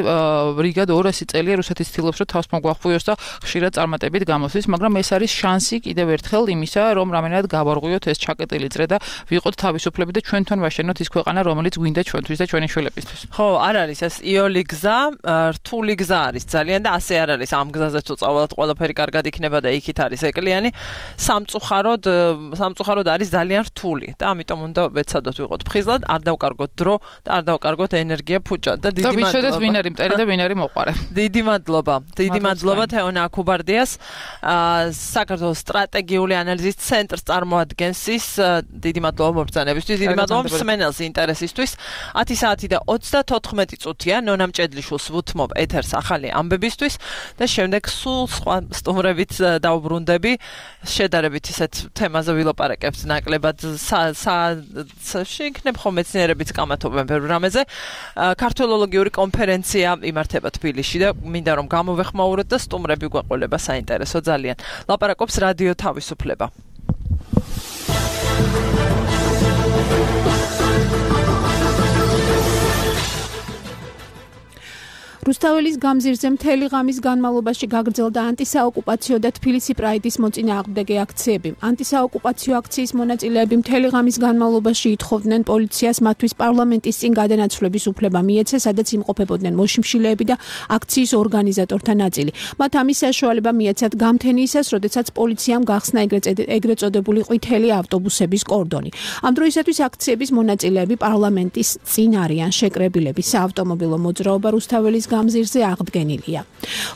რიგად 200 წელია რუსეთი ცდილობს, რომ თავს მოგვახუიოს და ხშირად წარმატებით გამოსვის, მაგრამ ეს არის შანსი კიდევ ერთხელ იმისა, რომ რამენად გავარღვიოთ ეს ჩაკეტილი წრე და ვიყოთ თავისუფლები და ჩვენთან ვაშენოთ ის ქვეყანა, რომელიც გვინდა ჩვენთვის და ჩვენი შვილებისთვის. ხო, არ არის ეს იოლი გზა, რთული გზა არის ძალიან და ასე არ არის ამ გზაზე თუ წავალთ ყველაფერი კარგად იქნება და იქით არის ეკლიანი. სამწუხაროდ არის ძალიან რთული და ამიტომ უნდა ვეცადოთ ვიყოთ ფხიზლად, არ დავკარგოთ დრო და არ დავკარგოთ ენერგია ფუჭად და დიდი მადლობა. და ვიშოდეთ ვინ არის მტერი და ვინ არის მოყვარე. დიდი მადლობა თეონა აკუბარდიას, საქართველოს სტრატეგიული ანალიზის ცენტრს წარმოადგენს ის. დიდი მადლობა მობრძანებისთვის, დიდი მადლობა მსმენელს ინტერესისთვის. 10 საათი და 34 წუთია ნონამ ჭედლიშვილს ვუთმობ ეთერს ახალი ამბებისთვის და შემდეგ სულ სხვა სტუმრებით დავბრუნდები. შედარებით ისეთ თემაზე ვილაპარაკებთ ნაკლებად შეიქნებ ხომ მეცნიერებიც კამათობენ ბევრ რამეზე. ქართველოლოგიური კონფერენცია იმართება თბილისში და მინდა რომ გამოვეხმაუროთ და სტუმრები გვეყოლება საინტერესო ძალიან. ლაპარაკობს რადიო თავისუფლება. რუსთაველის გამზირზე მთელი ღამის განმავლობაში გაგრძელდა ანტისაოკუპაციო და თბილისი პრაიდის მოწინააღმდეგე აქციები. ანტისაოკუპაციო აქციის მონაწილეები მთელი ღამის განმავლობაში ითხოვდნენ პოლიციას მათთვის პარლამენტის წინ გადანაცვლების უფლება მიეცეს, სადაც იმყოფებოდნენ მოშიმშილეები და აქციის ორგანიზატორთა ნაწილი. მათ ამის საშუალება მიეცათ გამთენიისას, როდესაც პოლიციამ გახსნა ეგრეთ წოდებული ყვითელი ავტობუსების კორდონი. ამ დროისათვის აქციების მონაწილეები პარლამენტის წინ არიან შეკრებილები. საავტომობილო მოძრაობა რუსთაველის გამზირზე აღდგენილია.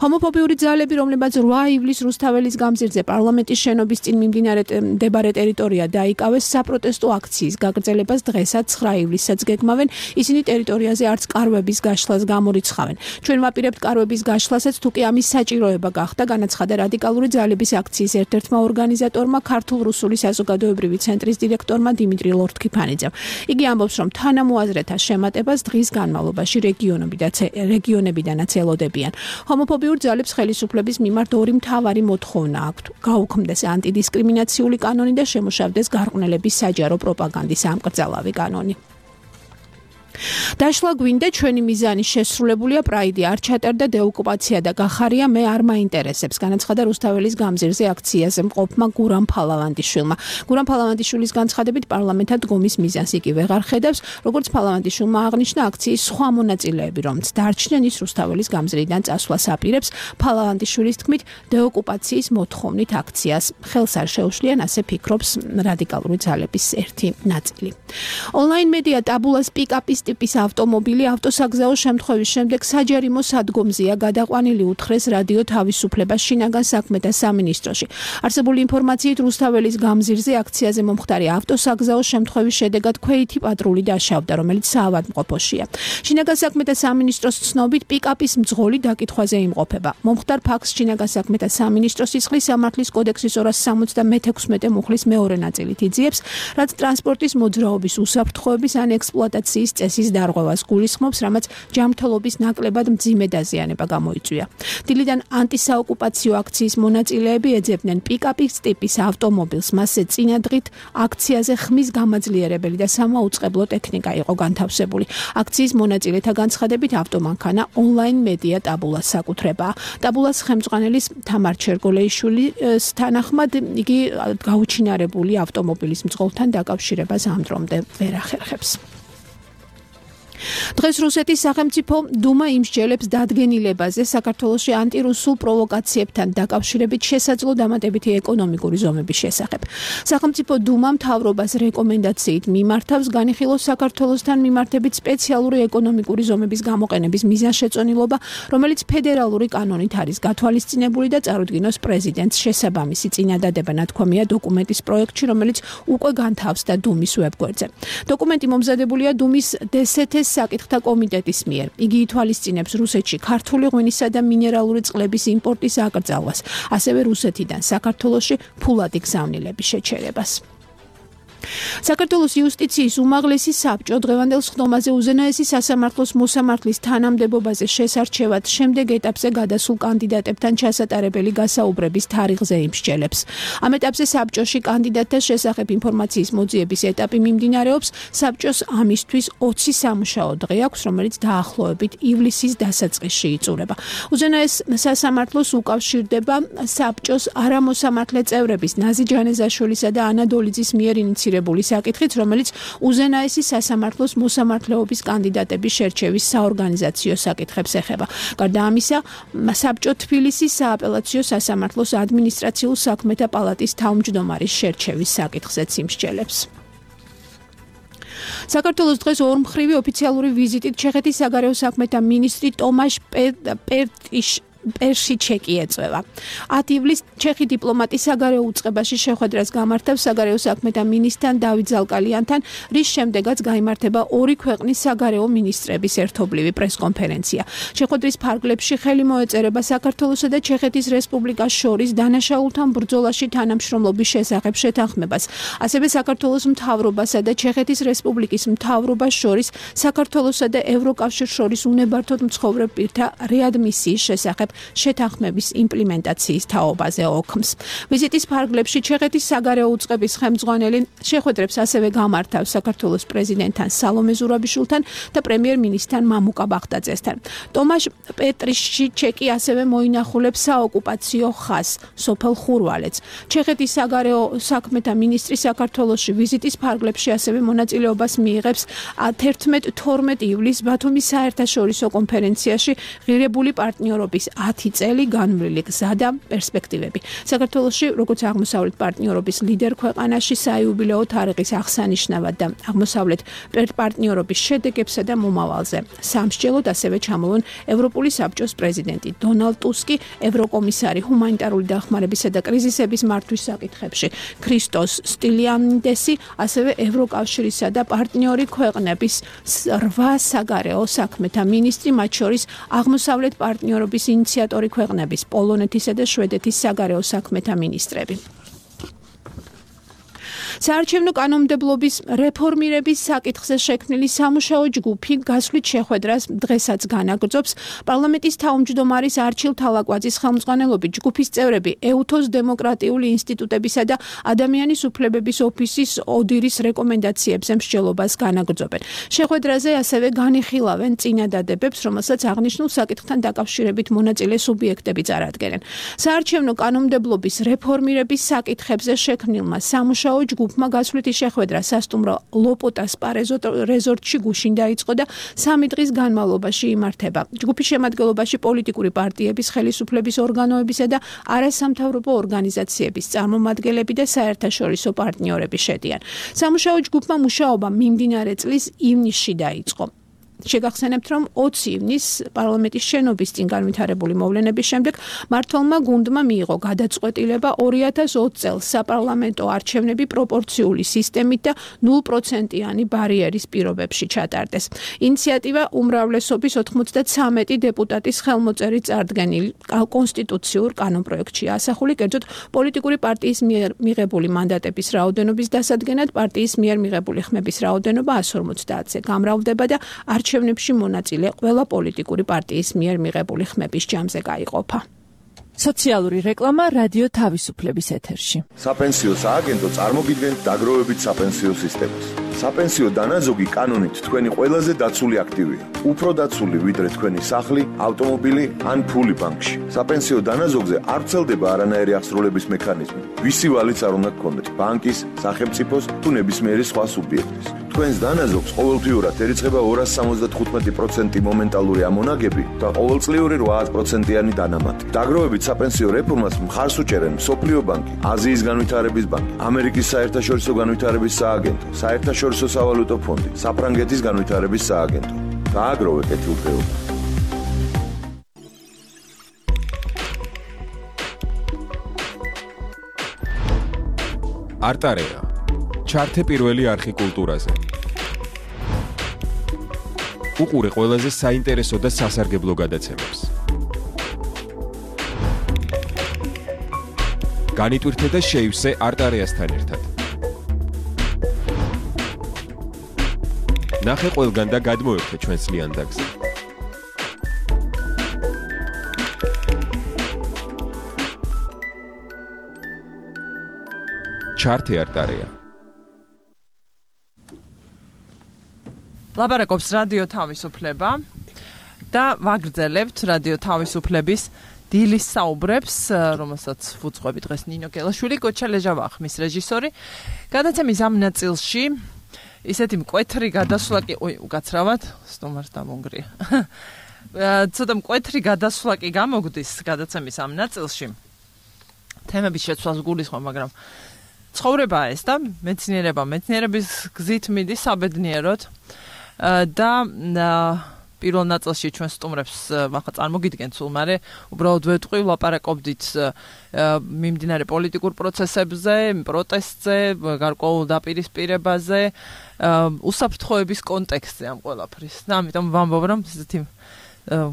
ჰომოფობიური ძალები, რომლებიც 8 ივლისს რუსთაველის გამზირზე პარლამენტის შენობის წინ მიმდინარე ტერიტორია დაიკავეს, საპროტესტო აქციის გაგრძელებას დღესაც 9 ივლისსაც გეგმავენ. ისინი ტერიტორიაზე არც კარვების გაშლას გამორიცხავენ. ჩვენ ვაპირებთ კარვების გაშლასაც, თუკი ამის საჭიროება გახდა, განაცხადა რადიკალური ძალების აქციის ერთ-ერთმა ორგანიზატორმა, ქართულ-რუსული საზოგადოებრივი ცენტრის დირექტორმა დიმიტრი ლორთქიფანიძემ. იგი ამბობს, რომ თანამოაზრეთა შემატებას დღის განმავლობაში რეგიონებიდანაც ელოდებიან. ჰომოფობიურ ძალებს ხელისუფლების მიმართ ორი მთავარი მოთხოვნა აქვთ: გაუქმდეს ანტიდისკრიმინაციული კანონი და შემუშავდეს გარყვნილების საჯარო პროპაგანდის ამკრძალავი კანონი. დაშლა გვინდა, ჩვენი მიზანი შესრულებულია, პრაიდი არ ჩატარდა, დეოკუპაცია და გახარია მე არ მაინტერესებს, განაცხადა რუსთაველის გამზირზე აქციაზე მყოფმა გურამ ფალავანდიშვილმა. გურამ ფალავანდიშვილის განცხადებით პარლამენტად დგომის მიზანს იგი ვეღარ ხედავს, როგორც ფალავანდიშვილმა აღნიშნა, აქციის სხვა მონაწილეები, რომც დარჩნენ, ის რუსთაველის გამზირიდან წასვლას აპირებს. ფალავანდიშვილის თქმით, დეოკუპაციის მოთხოვნით აქციას ხელს არ შეუშლიან, ასე ფიქრობს რადიკალური ძალების ერთი ნაწილი. ონლაინ მედია ტაბულას პიკაპის ტიპის ავტომობილი ავტოსაგზაო შემთხვევის შემდეგ საჯარიმო სადგომზეა გადაყვანილი, უთხრეს რადიო თავისუფლება შინაგან საქმეთა სამინისტროში. არსებული ინფორმაციით რუსთაველის გამზირზე აქციაზე მომხდარი ავტოსაგზაო შემთხვევის შედეგად ქვეითი პატრული დაშავდა, რომელიც საავადმყოფოშია. შინაგან საქმეთა სამინისტროს ცნობით პიკაპის მძღოლი დაკითხვაზე იმყოფება. მომხდარ ფაქტს შინაგან საქმეთა სამინისტრო სისხლის სამართლის კოდექსის 276 მუხლის მეორე ნაწილით იძიებს, რაც ტრანსპორტის მოძრაობის უსაფრთხოების ან ექსპლუატაციის წესის დარღვევას გულისხმობს, რამაც ჯანმრთელობის ნაკლებად მძიმე დაზიანება გამოიწვია. დილიდან ანტისაოკუპაციო აქციის მონაწილეები ეძებდნენ პიკაპის ტიპის ავტომობილს, მასზე წინადღით აქციაზე ხმის გამაძლიერებელი და სამაუწყებლო ტექნიკა იყო განთავსებული. აქციის მონაწილეთა განცხადებით ავტომანქანა ონლაინ მედია ტაბულას საკუთრებაა. ტაბულას ხელმძღვანელის თამარ ჩერგოლეიშვილის თანახმად იგი გაუჩინარებული ავტომობილის მძღოლთან დაკავშირებას ამ დრომდე ვერ ახერხებს. დღეს რუსეთის სახელმწიფო დუმა იმსჯელებს დადგენილებაზე საქართველოში ანტირუსულ პროვოკაციებთან დაკავშირებით შესაძლო დამატებითი ეკონომიკური ზომების შესახებ. სახელმწიფო დუმა მთავრობას რეკომენდაციით მიმართავს განიხილოს საქართველოსთან მიმართებით სპეციალური ეკონომიკური ზომების გამოყენების მიზანშეწონილობა, რომელიც ფედერალური კანონით არის გათვალისწინებული და წარუდგინოს პრეზიდენტს შესაბამისი წინადადება ნათქვამია დოკუმენტის პროექტში, რომელიც უკვე განთავსდა დუმის ვებგვერდზე. დოკუმენტი მომზადებულია დუმის DST საკითხთა კომიტეტის მიერ. იგი ითვალისწინებს რუსეთში ქართული ღვინისა და მინერალური წყლების იმპორტის აკრძალვას, ასევე რუსეთიდან საქართველოში ფულადი გზავნილების შეჩერებას. საქართველოს იუსტიციის უმაღლესი საბჭო დღევანდელ სხდომაზე უზენაესი სასამართლოს მოსამართლის თანამდებობაზე შესარჩევად შემდეგ ეტაპზე გადასულ კანდიდატებთან ჩასატარებელი გასაუბრების თარიღზე იმსჯელებს. ამ ეტაპზე საბჭოში კანდიდატთა შესახებ ინფორმაციის მოძიების ეტაპი მიმდინარეობს. საბჭოს ამისთვის 20 სამუშაო დღე აქვს, რომელიც დაახლოებით ივლისის დასაწყისში იწურება. უზენაეს სასამართლოს უკავშირდება საბჭოს არამოსამართლე წევრების ნაზი ჯანეზაშვილისა და ანა დოლიძის მიერ ინიცირებული საკითხით, რომელიც უზენაესი სასამართლოს მოსამართლეობის კანდიდატების შერჩევის საორგანიზაციო საკითხებს ეხება. გარდა ამისა, საბჭო თბილისის სააპელაციო სასამართლოს ადმინისტრაციულ საქმეთა პალატის თავმჯდომარის შერჩევის საკითხზეც იმსჯელებს. საქართველოს დღეს ორმხრივი ოფიციალური ვიზიტით ჩეხეთის საგარეო საქმეთა მინისტრი ტომაშ პერშიჩეკი ეწევა. 10 ივლისს ჩეხი დიპლომატი საგარეო უწყებაში შეხვედრას გამართავს საგარეო საქმეთა მინისტრთან დავით ზალკალიანთან, რის შემდეგაც გაიმართება ორი ქვეყნის საგარეო მინისტრების ერთობლივი პრესკონფერენცია. შეხვედრის ფარგლებში ხელი მოეწერება საქართველოსა და ჩეხეთის რესპუბლიკას შორის დანაშაულთან ბრძოლაში თანამშრომლობის შესახებ შეთანხმებას. ასევე საქართველოს მთავრობასა და ჩეხეთის რესპუბლიკის მთავრობას შორის საქართველოსა და ევროკავშირს შორის უნებართოდ მცხოვრებ პირთა რეადმისიის შესახებ შეთანხმების იმპლემენტაციის თაობაზე ოქმს. ვიზიტის ფარგლებში ჩეხეთის საგარეო უწყების ხელმძღვანელი შეხვედრებს ასევე გამართავს საქართველოს პრეზიდენტთან სალომე ზურაბიშვილთან და პრემიერ-მინისტრთან მამუკა ბახტაძესთან. ტომაშ პეტრიშიჩეკი ასევე მოინახულებს საოკუპაციო ხაზს სოფელ ხურვალეთს. ჩეხეთის საგარეო საქმეთა მინისტრი საქართველოში ვიზიტის ფარგლებში ასევე მონაწილეობას მიიღებს 11-12 ივლისს ბათუმის საერთაშორისო კონფერენციაში ღირებული პარტნიორობის 10 წელი განვლილი გზა და პერსპექტივები. საქართველოში, როგორც აღმოსავლეთ პარტნიორობის ლიდერ ქვეყანაში საიუბილეო თარიღის აღსანიშნავად და აღმოსავლეთ პარტნიორობის შედეგებსა და მომავალზე სამსჯელოდ ასევე ჩამოვონ ევროპული საბჭოს პრეზიდენტი დონალდ ტუსკი, ევროკომისარი ჰუმანიტარული დახმარებისა და კრიზისების მართვის საკითხებში ქრისტოს სტილიანიდესი, ასევე ევროკავშირისა და პარტნიორი ქვეყნების 8 საგარეო საქმეთა მინისტრი, მათ შორის აღმოსავლეთ პარტნიორობის ინიციატორი ქვეყნების პოლონეთისა და შვედეთის საგარეო საქმეთა მინისტრები. საარჩევნო კანონმდებლობის რეფორმირების საკითხზე შექმნილი სამუშაო ჯგუფი გასვლით შეხვედრას დღესაც განაგრძობს. პარლამენტის თავმჯდომარის არჩილ თალაკვაძის ხელმძღვანელობით ჯგუფის წევრები ეუთოს დემოკრატიული ინსტიტუტებისა და ადამიანის უფლებების ოფისის ოდირის რეკომენდაციებზე მსჯელობას განაგრძობენ. შეხვედრაზე ასევე განიხილავენ წინადადებებს, რომელსაც აღნიშნულ საკითხთან დაკავშირებით მონაწილე სუბიექტები წარადგენენ. საარჩევნო კანონმდებლობის რეფორმირების საკითხებზე შექმნილმა სამუშაო ჯგუფმა გასვლითი შეხვედრა სასტუმრო ლოპოტას რეზორტში გუშინ დაიწყო და 3 დღის განმავლობაში იმართება. ჯგუფის შემადგენლობაში პოლიტიკური პარტიების, ხელისუფლების ორგანოებისა და არასამთავრობო ორგანიზაციების წარმომადგენლები და საერთაშორისო პარტნიორები შედიან. სამუშაო ჯგუფმა მუშაობა მიმდინარე წლის ივნისში დაიწყო. შეგახსენებთ, რომ 20 ივნისს პარლამენტის შენობის წინ განვითარებული მოვლენების შემდეგ მმართველმა გუნდმა მიიღო გადაწყვეტილება 2020 წელს საპარლამენტო არჩევნები პროპორციული სისტემით და 0%-იანი ბარიერის პირობებში ჩატარდეს. ინიციატივა უმრავლესობის 93 დეპუტატის ხელმოწერით წარდგენილ კონსტიტუციურ კანონპროექტშია ასახული, კერძოდ პოლიტიკური პარტიის მიერ მიღებული მანდატების რაოდენობის დასადგენად პარტიის მიერ მიღებული ხმების რაოდენობა 150-ზე გამრავლდება და არჩევნებში მონაწილე ყველა პოლიტიკური პარტიის მიერ მიღებული ხმების ჯამზე გაიყოფა. სოციალური რეკლამა რადიო თავისუფლების ეთერში. საპენსიო სააგენტო წარმოგიდგენთ დაგროვებით საპენსიო სისტემას. საპენსიო დანაზოგი კანონით თქვენი ყველაზე დაცული აქტივია. უფრო დაცული ვიდრე თქვენი სახლი, ავტომობილი ან ფული ბანკში. საპენსიო დანაზოგზე არ ვრცელდება არანაირი აღსრულების მექანიზმი. ვისი ვალიც არ უნდა გქონდეთ, ბანკის, სახელმწიფოს თუ ნებისმიერი სხვა სუბიექტის. თქვენს დანაზოგს ყოველთვიურად ერიცხება 275% მომენტალური ამონაგები და ყოველწლიური 8%-იანი დანამატი. დაგროვებით საპენსიო რეფორმას მხარს უჭერენ მსოფლიო ბანკი, აზიის განვითარების ბანკი, ამერიკის საერთაშორისო განვითარების სააგენტო, საერთაშორისო სავალუტო ფონდი, საფრანგეთის განვითარების სააგენტო. გააგროვე კეთილდღეობა. არტარეა. ჩართე პირველი არხი კულტურაზე. უყურე ყველაზე საინტერესო და სასარგებლო გადაცემებს. განიტვირთე და შეივსე არტარეასთან ერთად. ნახე ყველგან და გადმოერთე ჩვენს ლიანდაგზე. ჩარტი არტარია. ლაპარაკობს რადიო თავისუფლება და ვაგრძელებთ რადიო თავისუფლების დილის საუბრებს, რომელსაც ვუძღვები დღეს ნინო გელაშვილი, კოჩა ლეჟავა ხმის რეჟისორი. გადაცემის ამ ნაწილში ისეთი მკვეთრი გადასვლა კი, უკაცრავად, სტუმარს დამონგრია. ცოტა მკვეთრი გადასვლა კი გამოგვდის გადაცემის ამ ნაწილში. თემების შეცვლას გულისხმობ, მაგრამ ცხოვრებაა ეს და მეცნიერების გზით მიდის საბედნიეროდ და პირველ ნაწილში ჩვენ სტუმრებს ახლა წარმოგიდგენთ სულ, მაგრამ უბრალოდ ვეტყვი, ვლაპარაკობდით მიმდინარე პოლიტიკურ პროცესებზე, პროტესტზე, გარკვეულ დაპირისპირებაზე, უსაფრთხოების კონტექსტზე ამ ყველაფრის. და ამიტომ ვამბობ, რომ ესეთი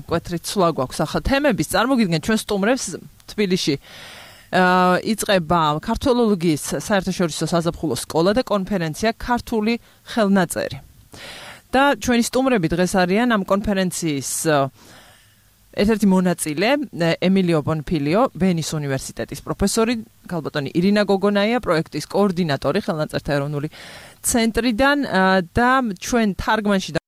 მკვეთრი ცვლა გვაქვს ახლა თემების. წარმოგიდგენთ ჩვენ სტუმრებს თბილისში იწყება ქართველოლოგიის საერთაშორისო საზაფხულო სკოლა და კონფერენცია ქართული ხელნაწერი. და ჩვენი სტუმრები დღეს არიან ამ კონფერენციის ერთ-ერთი მონაწილე, ემილიო ბონფილიო, ვენის უნივერსიტეტის პროფესორი, ქალბატონი ირინა გოგონაია, პროექტის კოორდინატორი ხელნაწერთა ეროვნული ცენტრიდან და ჩვენ თარგმანში და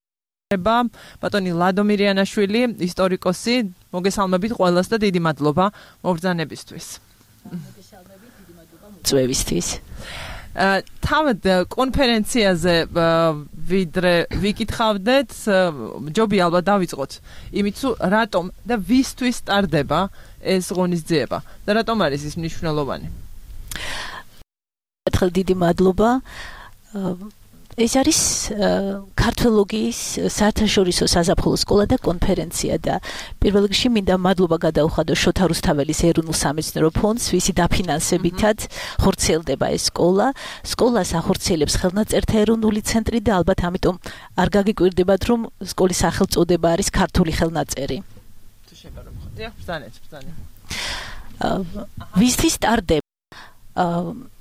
ბატონი ლადო მირიანაშვილი, ისტორიკოსი, მოგესალმებით ყველას და დიდი მადლობა მობრძანებისთვის. წვევისთვის. თავად კონფერენციაზე ვიდრე ვიკითხავდეთ, ჯობია ალბათ დავიწყოთ იმით, რატომ და ვისთვის ტარდება ეს ღონისძიება და რატომ არის ის მნიშვნელოვანი? ერთხელ დიდი მადლობა. ეს არის ქართველოლოგიის საერთაშორისო საზაფხულო სკოლა და კონფერენცია და პირველ რიგში მინდა მადლობა გადაუხადო შოთა რუსთაველის ეროვნულ სამეცნიერო ფონდს, ვისი დაფინანსებითაც ხორციელდება ეს სკოლა. სკოლას ახორციელებს ხელნაწერთა ეროვნული ცენტრი და ალბათ ამიტომ არ გაგიკვირდებათ, რომ სკოლის სახელწოდება არის ქართული ხელნაწერი. ვისთვის ტარდება?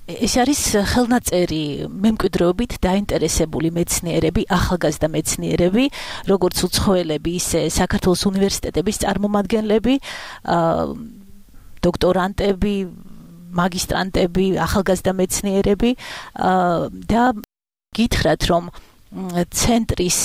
ეს არის ხელნაწერი მემკვიდრეობით დაინტერესებული მეცნიერები, ახალგაზრდა მეცნიერები, როგორც უცხოელები, ისე საქართველოს უნივერსიტეტების წარმომადგენლები, დოქტორანტები, მაგისტრანტები, ახალგაზრდა მეცნიერები და გითხრათ, რომ ცენტრის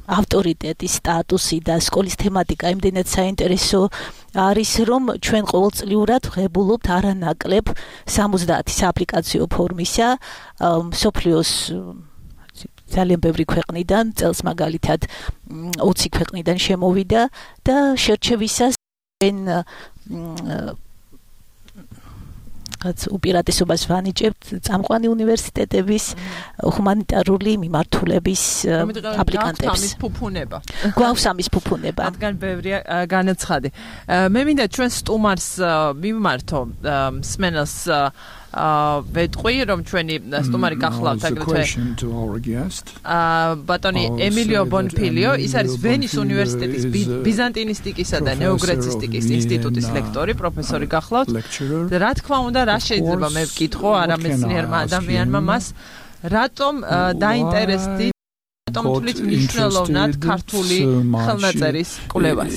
ავტორიტეტის სტატუსი და სკოლის თემატიკა იმდენად საინტერესო არის, რომ ჩვენ ყოველწლიურად ვღებულობთ არანაკლებ 70 სააპლიკაციო ფორმისა მსოფლიოს ძალიან ბევრი ქვეყნიდან, წელს მაგალითად 20 ქვეყნიდან შემოვიდა და შერჩევისას უპირატესობას ვანიჭებთ წამყვანი უნივერსიტეტების ჰუმანიტარული მიმართულების აპლიკანტებს. გვაქვს ამის ფუფუნება. რადგან ბევრია განაცხადი. მე მინდა ჩვენ სტუმარს მიმართო მსმენელს ვეტყვი, რომ ჩვენი სტუმარი გახლავთ აგრეთვე ბატონი ემილიო ბონფილიო, ის არის ვენის უნივერსიტეტის ბიზანტინისტიკისა და ნეოგრეცისტიკის ინსტიტუტის ლექტორი, პროფესორი გახლავთ. რა თქმა უნდა, რა შეიძლება მე ვკითხო არამეცნიერმა ადამიანმა მას, რატომ დაინტერესდით, რატომ თulit მნიშვნელოვნად ქართული ხელნაწერის კვლევას?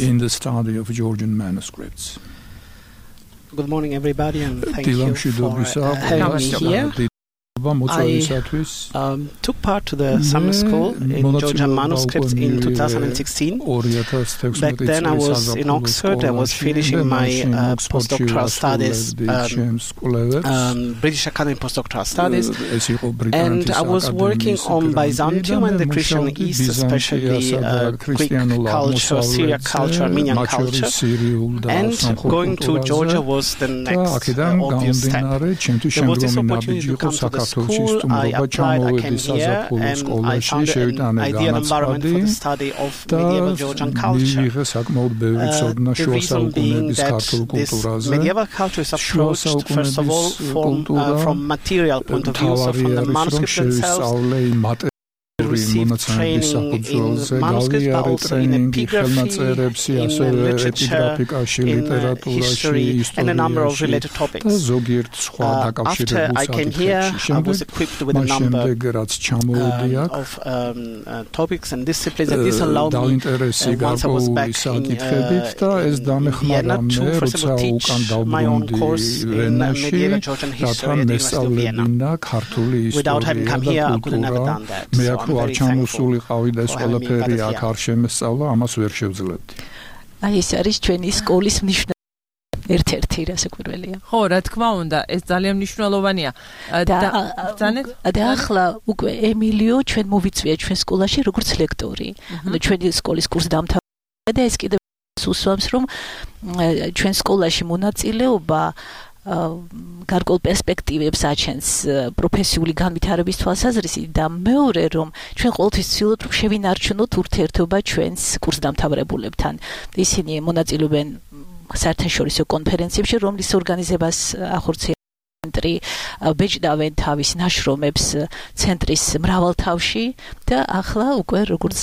Good morning, everybody, and thank you for having me here. I took part to the summer school in Georgian manuscripts in 2016. Back then I was in Oxford. I was finishing my postdoctoral studies, British Academy postdoctoral studies, and I was working on Byzantium and the Christian East, especially Greek culture, Syriac culture, Armenian culture, and going to Georgia was the next obvious step. There was this opportunity to come to the school. I applied, I came here, and I found an ideal environment for the study of medieval Georgian culture. The reason being that this medieval culture is approached, first of all, from material point of view, so from the manuscripts themselves, მონაცემების საფუძველზე გავიარე ტრენინგი ხელნაწერებში, ასევე ეპიგრაფიკაში, ლიტერატურაში, ისტორიაში და ზოგიერთ სხვა დაკავშირებულ საკითხებში. შემდეგ რაც ჩამოვიდი აქ, დაინტერესი გარკვეული საკითხებით და ეს დამეხმარა მე, როცა უკან დავბრუნდი ვენაში, რათა მესწავლებინა ქართული ისტორია და კულტურა. მე აქ არ ჩამოსულიყავი და ეს ყველაფერი აქ არ შემესწავლა, ამას ვერ შევძლებდი. აი ეს არის ჩვენი სკოლის მნიშვნელობა. ერთ-ერთი რასაკვირველია. ხო, რა თქმა უნდა, ეს ძალიან მნიშვნელოვანია. და ახლა უკვე ემილიო ჩვენ მოვიწვია ჩვენ სკოლაში როგორც ლექტორი. ანუ ჩვენი სკოლის კურსი დამთავრდა და ეს კიდევ უსვამს, რომ ჩვენ სკოლაში მონაწილეობა გარკვეულ პერსპექტივებს აჩენს პროფესიული განვითარების თვალსაზრისით და მეორე რომ ჩვენ ყოველთვის ვცდილობთ რომ შევინარჩუნოთ ურთიერთობა ჩვენს კურსდამთავრებულებთან. ისინი მონაწილეობენ საერთაშორისო კონფერენციებში, რომლის ორგანიზებას ახორციელებს ცენტრი, ბეჭდავენ თავის ნაშრომებს ცენტრის მრავალ თავში და ახლა უკვე როგორც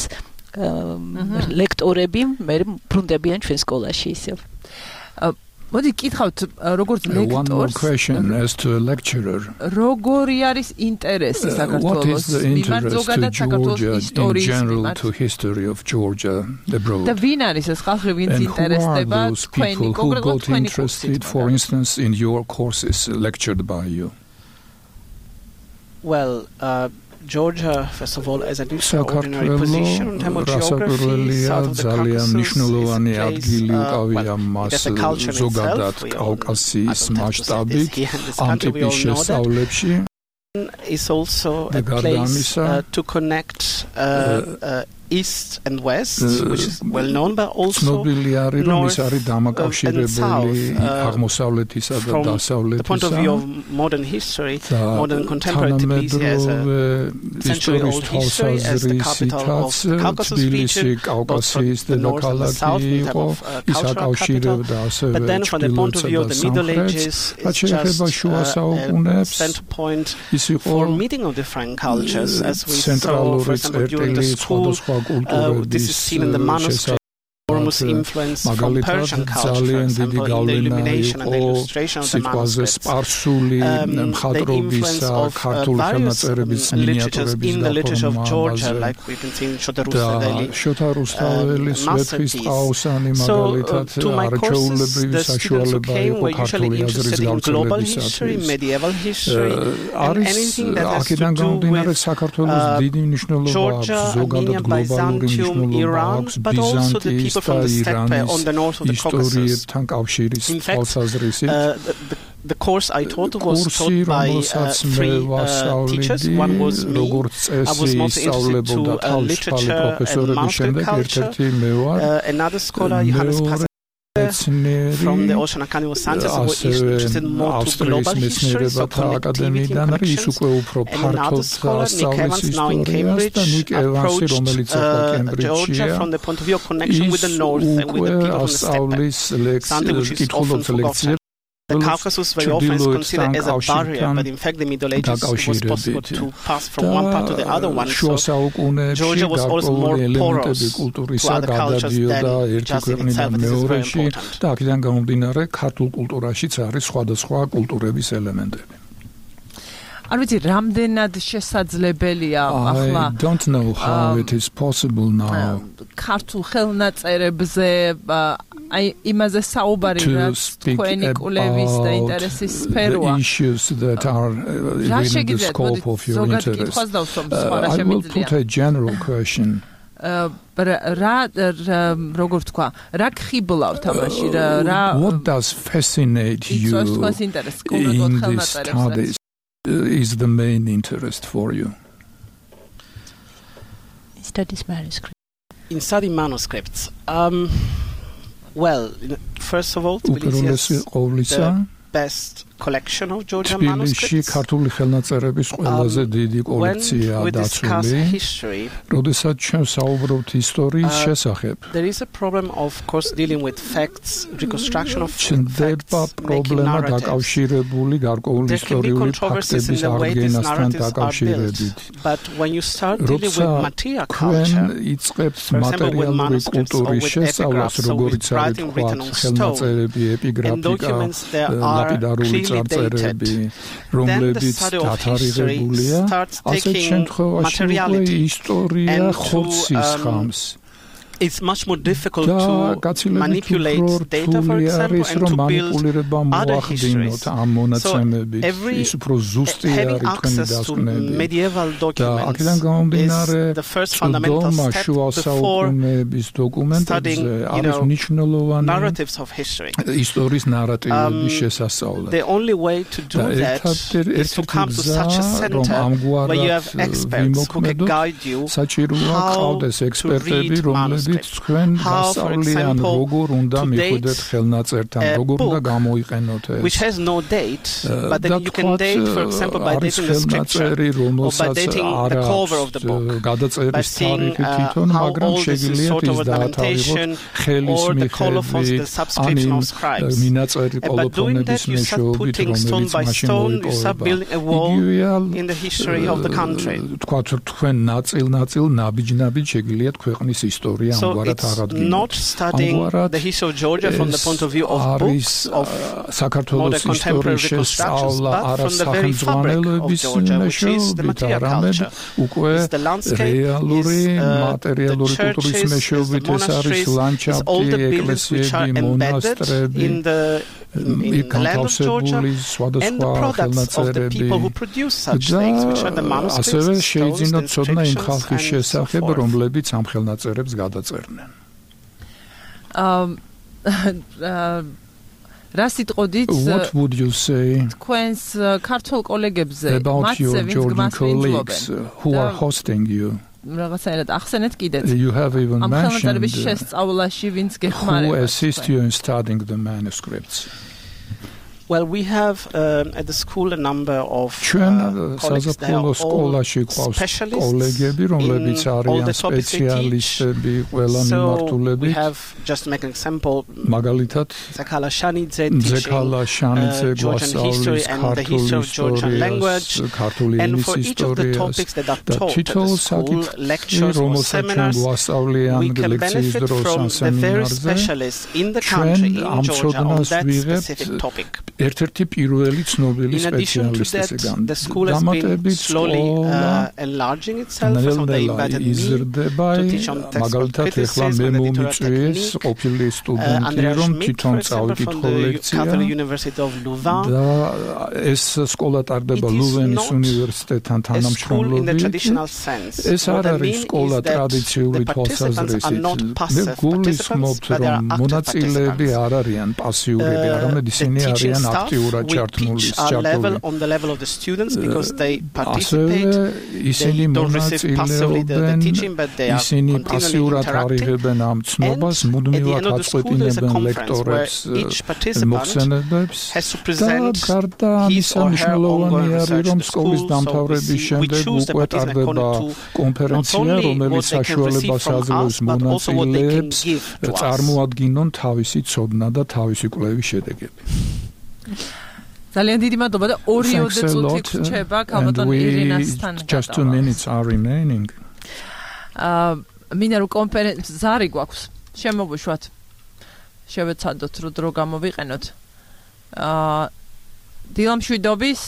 ლექტორები მე ბრუნდებიან ჩვენ სკოლაში ისევ. მოდი კითხავთ, როგორც ლექტორს, როგორი არის ინტერესი საქართველოს მიმართ, ზოგადად საქართველოს ისტორიის მიმართ? და ვინ არის ეს ხალხი, ვინც ინტერესდება თქვენი, კონკრეტულად თქვენი კურსით? For instance, in your courses lectured by you? Well, Georgia, first of all, as an extraordinary position in terms of geography, south of the Caucasus is ზოგადად კავკასიის მასშტაბით ანტიპის შესწავლებში is also a place to connect east and west, which is well known, but also ცნობილი არის რომ ის არის დამაკავშირებელი აღმოსავლეთისა და დასავლეთისა. The point of view of modern history, modern contemporary Tbilisi as a century old history, as the capital of the Caucasus region, both for the north and the south in terms of cultural capital. But then from the point of view of the Middle Ages, it's just a center point for meeting of different cultures, as we saw, for example, during the school. This is seen in the manuscript. Enormous influence from Persian culture, for example, in the illumination and the illustration of the manuscripts. The influence of various literatures in the literature of Georgia, like we can see in Shota Rustaveli's masterpiece. So, to my courses, the students who came were usually interested in global history, medieval history, and anything that has to do with Georgia, Armenia, Byzantium, Iran, but also the people from the steppe on the north of the Caucasus. In fact, the course I taught was taught by three teachers. One was me. I was most interested to literature and manuscript culture. Another scholar, Johannes Pasek, from the Oceanakani was Sanchez, who was interested more to global history, so connectivity and connections. And another scholar, Nick Evans, now in Cambridge, approached Georgia from the point of view of connection with the north and with the people from the steppe, something which is often forgotten. The Caucasus very often is considered as a barrier, but in fact the Middle Ages it was possible to pass from one part to the other one. So Georgia was also more porous to other cultures than just in itself. This is very important. და აქედან გამომდინარე ქართულ კულტურაშიც არის სხვადასხვა კულტურების ელემენტები. არ ვიცი, რამდენად შესაძლებელია ახლა I don't know how it is possible now. ქართულ ხელნაწერებზე აი იმაზე საუბარი რაც თქვენი კულევის და ინტერესის სფეროა. The issues that are within the scope of your interest. I will put a general question. როგორ თქვა, რა გხიბლავთ ამაში, რა What does fascinate you in these studies? Is the main interest for you? Studies manuscripts. In studying manuscripts, well, first of all, Tbilisi is the best collection of Georgian manuscripts. ქართული ხელნაწერების ყველაზე დიდი კოლექცია დაცული. როდესაც ჩვენ საუბრობთ ისტორიის შესახებ. There is a problem of course dealing with facts, reconstruction of facts. პრობლემა დაკავშირებული გარკვეული ისტორიული ფაქტების აღდგენასთან დაკავშირებით. But when you start dealing with material culture, იწყებს მატერიალური კულტურის შესწავლას, როგორც არის თქვა, ხელნაწერები, ეპიგრაფიკა, ლაპიდარული წარწერები, რომლებიც დათარიღებულია, ასეთ შემთხვევაში უკვე ისტორია ხორცის ხამს. It's much more difficult to manipulate data, for example, and to build other histories. So having access to medieval documents is the first fundamental step before studying, narratives of history. The only way to do that is to come to such a center where you have experts who can guide you how to read manuscripts. How, for example, to date a book which has no date, but then you can date, for example, by dating the scripture or by dating the cover of the book, by seeing how old is the sort of ornamentation or the colophons, the subscription of scribes. And by doing that, you start putting stone by stone, you start building a wall in the history of the country. So it's not studying the history of Georgia from the point of view of books, of modern contemporary reconstructions, but from the very fabric of Georgia, which is the material culture. It's the landscape, is the churches, is the monasteries, is all the buildings which are embedded in the land of Georgia, and the products of the people who produce such things, which are the manuscripts, stones, inscriptions, and so forth. What would you say about your Georgian colleagues who are hosting you? You have even mentioned who assist you in studying the manuscripts. Well, we have at the school a number of colleagues that are all specialists in all the topics they teach. So we have, just to make an example, Zekala Shanidze teaching Georgian history and the history of Georgian language. And for each of the topics that are taught at the school, lectures or seminars, we can benefit from the various specialists in the country, in Georgia, on that specific topic. ერთ-ერთი პირველი ცნობილი სპეციალისტის ეგან. The school has been slowly enlarging itself, so they invited me to teach on text criticism and editorial technique. Andrea Schmidt, for example, from the Catholic University of Louvain. ეს სკოლა ტარდება ლუვენის უნივერსიტეტთან თანამშრომლობით. In the traditional sense. ეს არ არის სკოლა ტრადიციული თვალსაზრისით. მე გულისხმობთ, რომ მონაწილეები არ არიან პასიურები, არამედ ისინი არიან აქტიურად ჩართმული level on the level of the students because they participate, they don't receive passively the teaching, but they are continually interacting. And at the end of the school there is a conference where each participant has to present his or her ongoing research at the school, so we choose the participant according to not only what they can receive from us, but also what they can give to us. წარმოადგინონ თავისი ცოდნა და თავისი კვლევის შედეგები. ძალიან დიდი მადლობა და 2 წუთი გრჩება ქალბატონ ირინასთან. Just 2 minutes are remaining. მინდა რომ კონფერენცია ზარი გვაქვს. შემოვუშვათ. შევეცადოთ რომ დრო გამოვიყენოთ. დილამშვიდობის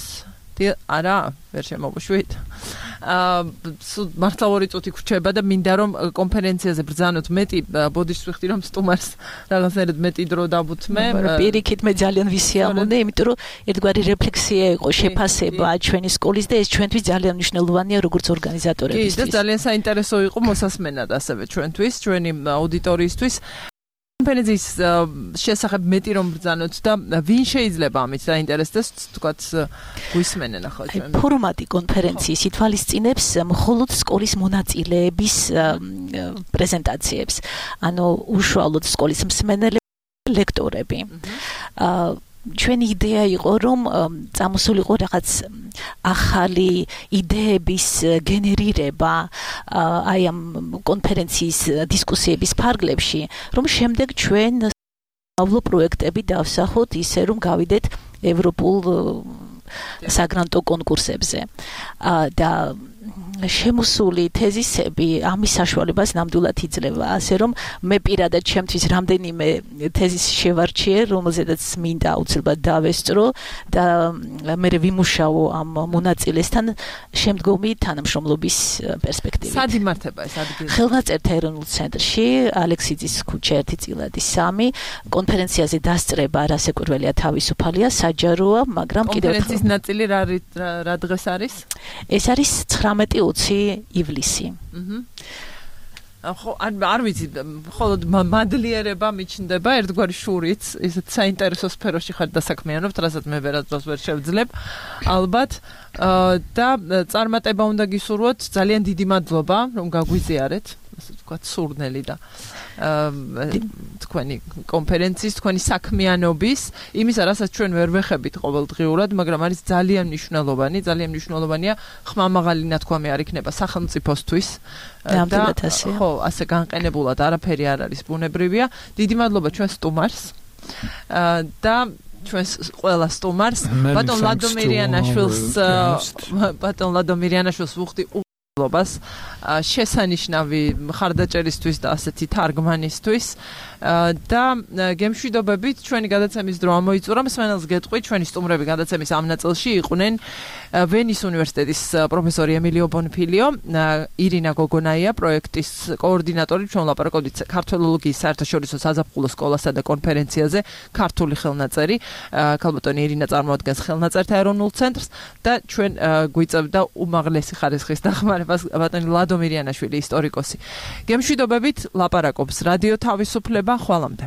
არა, ვერ შემოვუშვით. მართლა 2 წუთი გრჩება და მინდა რომ კონფერენციაზე ბრძანოთ მეტი ბოდიშს ვიხდი რომ სტუმარს რაღაცნაირად მეტი დრო დავუთმე. პირიქით მე ძალიან ვისიამოვნე, იმიტომ რომ ერთგვარი რეფლექსია იყო შეფასება ჩვენი სკოლის და ეს ჩვენთვის ძალიან მნიშვნელოვანია როგორც ორგანიზატორებისთვის. კი, და ძალიან საინტერესო იყო მოსასმენად ასევე ჩვენთვის, ჩვენი აუდიტორიისთვის. კონფერენციის შესახებ მეტი რომ ბრძანოთ და ვინ შეიძლება ამით დაინტერესდეს, თქვათ გვისმენენ ახლა ჩვენ. ფორმატი კონფერენციის ითვალისწინებს მხოლოდ სკოლის მონაწილეების პრეზენტაციებს. ანუ უშუალოდ სკოლის მსმენელები, ლექტორები. ჩვენი იდეა იყო რომ წამოსულიყო რაღაც ახალი იდეების გენერირება აი ამ კონფერენციის დისკუსიების ფარგლებში რომ შემდეგ ჩვენავლო პროექტები დავსახოთ ისე რომ გავიდეთ ევროპულ საგრანტო კონკურსებზე და შემოსული თეზისები ამის საშუალებას ნამდვილად იძლევა ასე რომ მე პირადად ჩემთვის რამდენიმე თეზისი შევარჩიე რომელზედაც მინდა აუცილებლად დავესწრო და მე ვიმუშაო ამ მონაწილესთან შემდგომი თანამშრომლობის პერსპექტივით. სად იმართება ეს ადგილი? ხელნაწერთა ეროვნულ ცენტრში ალექსიძის ქუჩა 1-3 კონფერენციაზე დასწრება რასაკვირველია თავისუფალია საჯაროა მაგრამ კიდევ კონფერენციის ნაწილი რა დღეს არის? ეს არის 19-20 ივლისი. ხო, არ ვიცი, მხოლოდ მადლიერება მიჩნდება, ერთგვარი შურიც, ისეთ საინტერესო სფეროში ხარ დასაქმიანობთ, რასაც მე ვერასდროს ვერ შევძლებ. ალბათ და წარმატება უნდა გისურვოთ, ძალიან დიდი მადლობა, რომ გაგვიზიარეთ, ასე ვთქვათ, სურნელი და თქვენი კონფერენციის, თქვენი საქმიანობის, იმისა, რასაც ჩვენ ვერ ვეხებით ყოველდღიურად, მაგრამ არის ძალიან მნიშვნელოვანია ხმამაღალი ნათქვამი არ იქნება სახელმწიფოსთვის და ხო, ასე განყენებულად არაფერი არ არის ბუნებრივია. დიდი მადლობა ჩვენ სტუმარს და ჩვენს ყველა სტუმარს, ბატონ ლადომირიანაშვილს ვუხდი ლობას შესანიშნავი მხარდაჭერისთვის და ასეთი თარგმანისთვის და გემშვიდობებით ჩვენი გადაცემის დრო ამოიწურა მსმენელს გეტყვი ჩვენი სტუმრები გადაცემის ამ ნაწილში იყვნენ ვენის უნივერსიტეტის პროფესორი ემილიო ბონფილიო ირინა გოგონაია პროექტის კოორდინატორი ჩვენ ვლაპარაკობდით ქართველოლოგიის საერთაშორისო საზაფხულო სკოლასა და კონფერენციაზე ქართული ხელნაწერი ქალბატონი ირინა წარმოადგენს ხელნაწერთა ეროვნულ ცენტრს და ჩვენ გვიწევდა უმაღლესი ხარისხის დახმარებას ბატონი ლადომირიანაშვილი ისტორიკოსი გემშვიდობებით ლაპარაკობს რადიო თავისუფლება ხვალამდე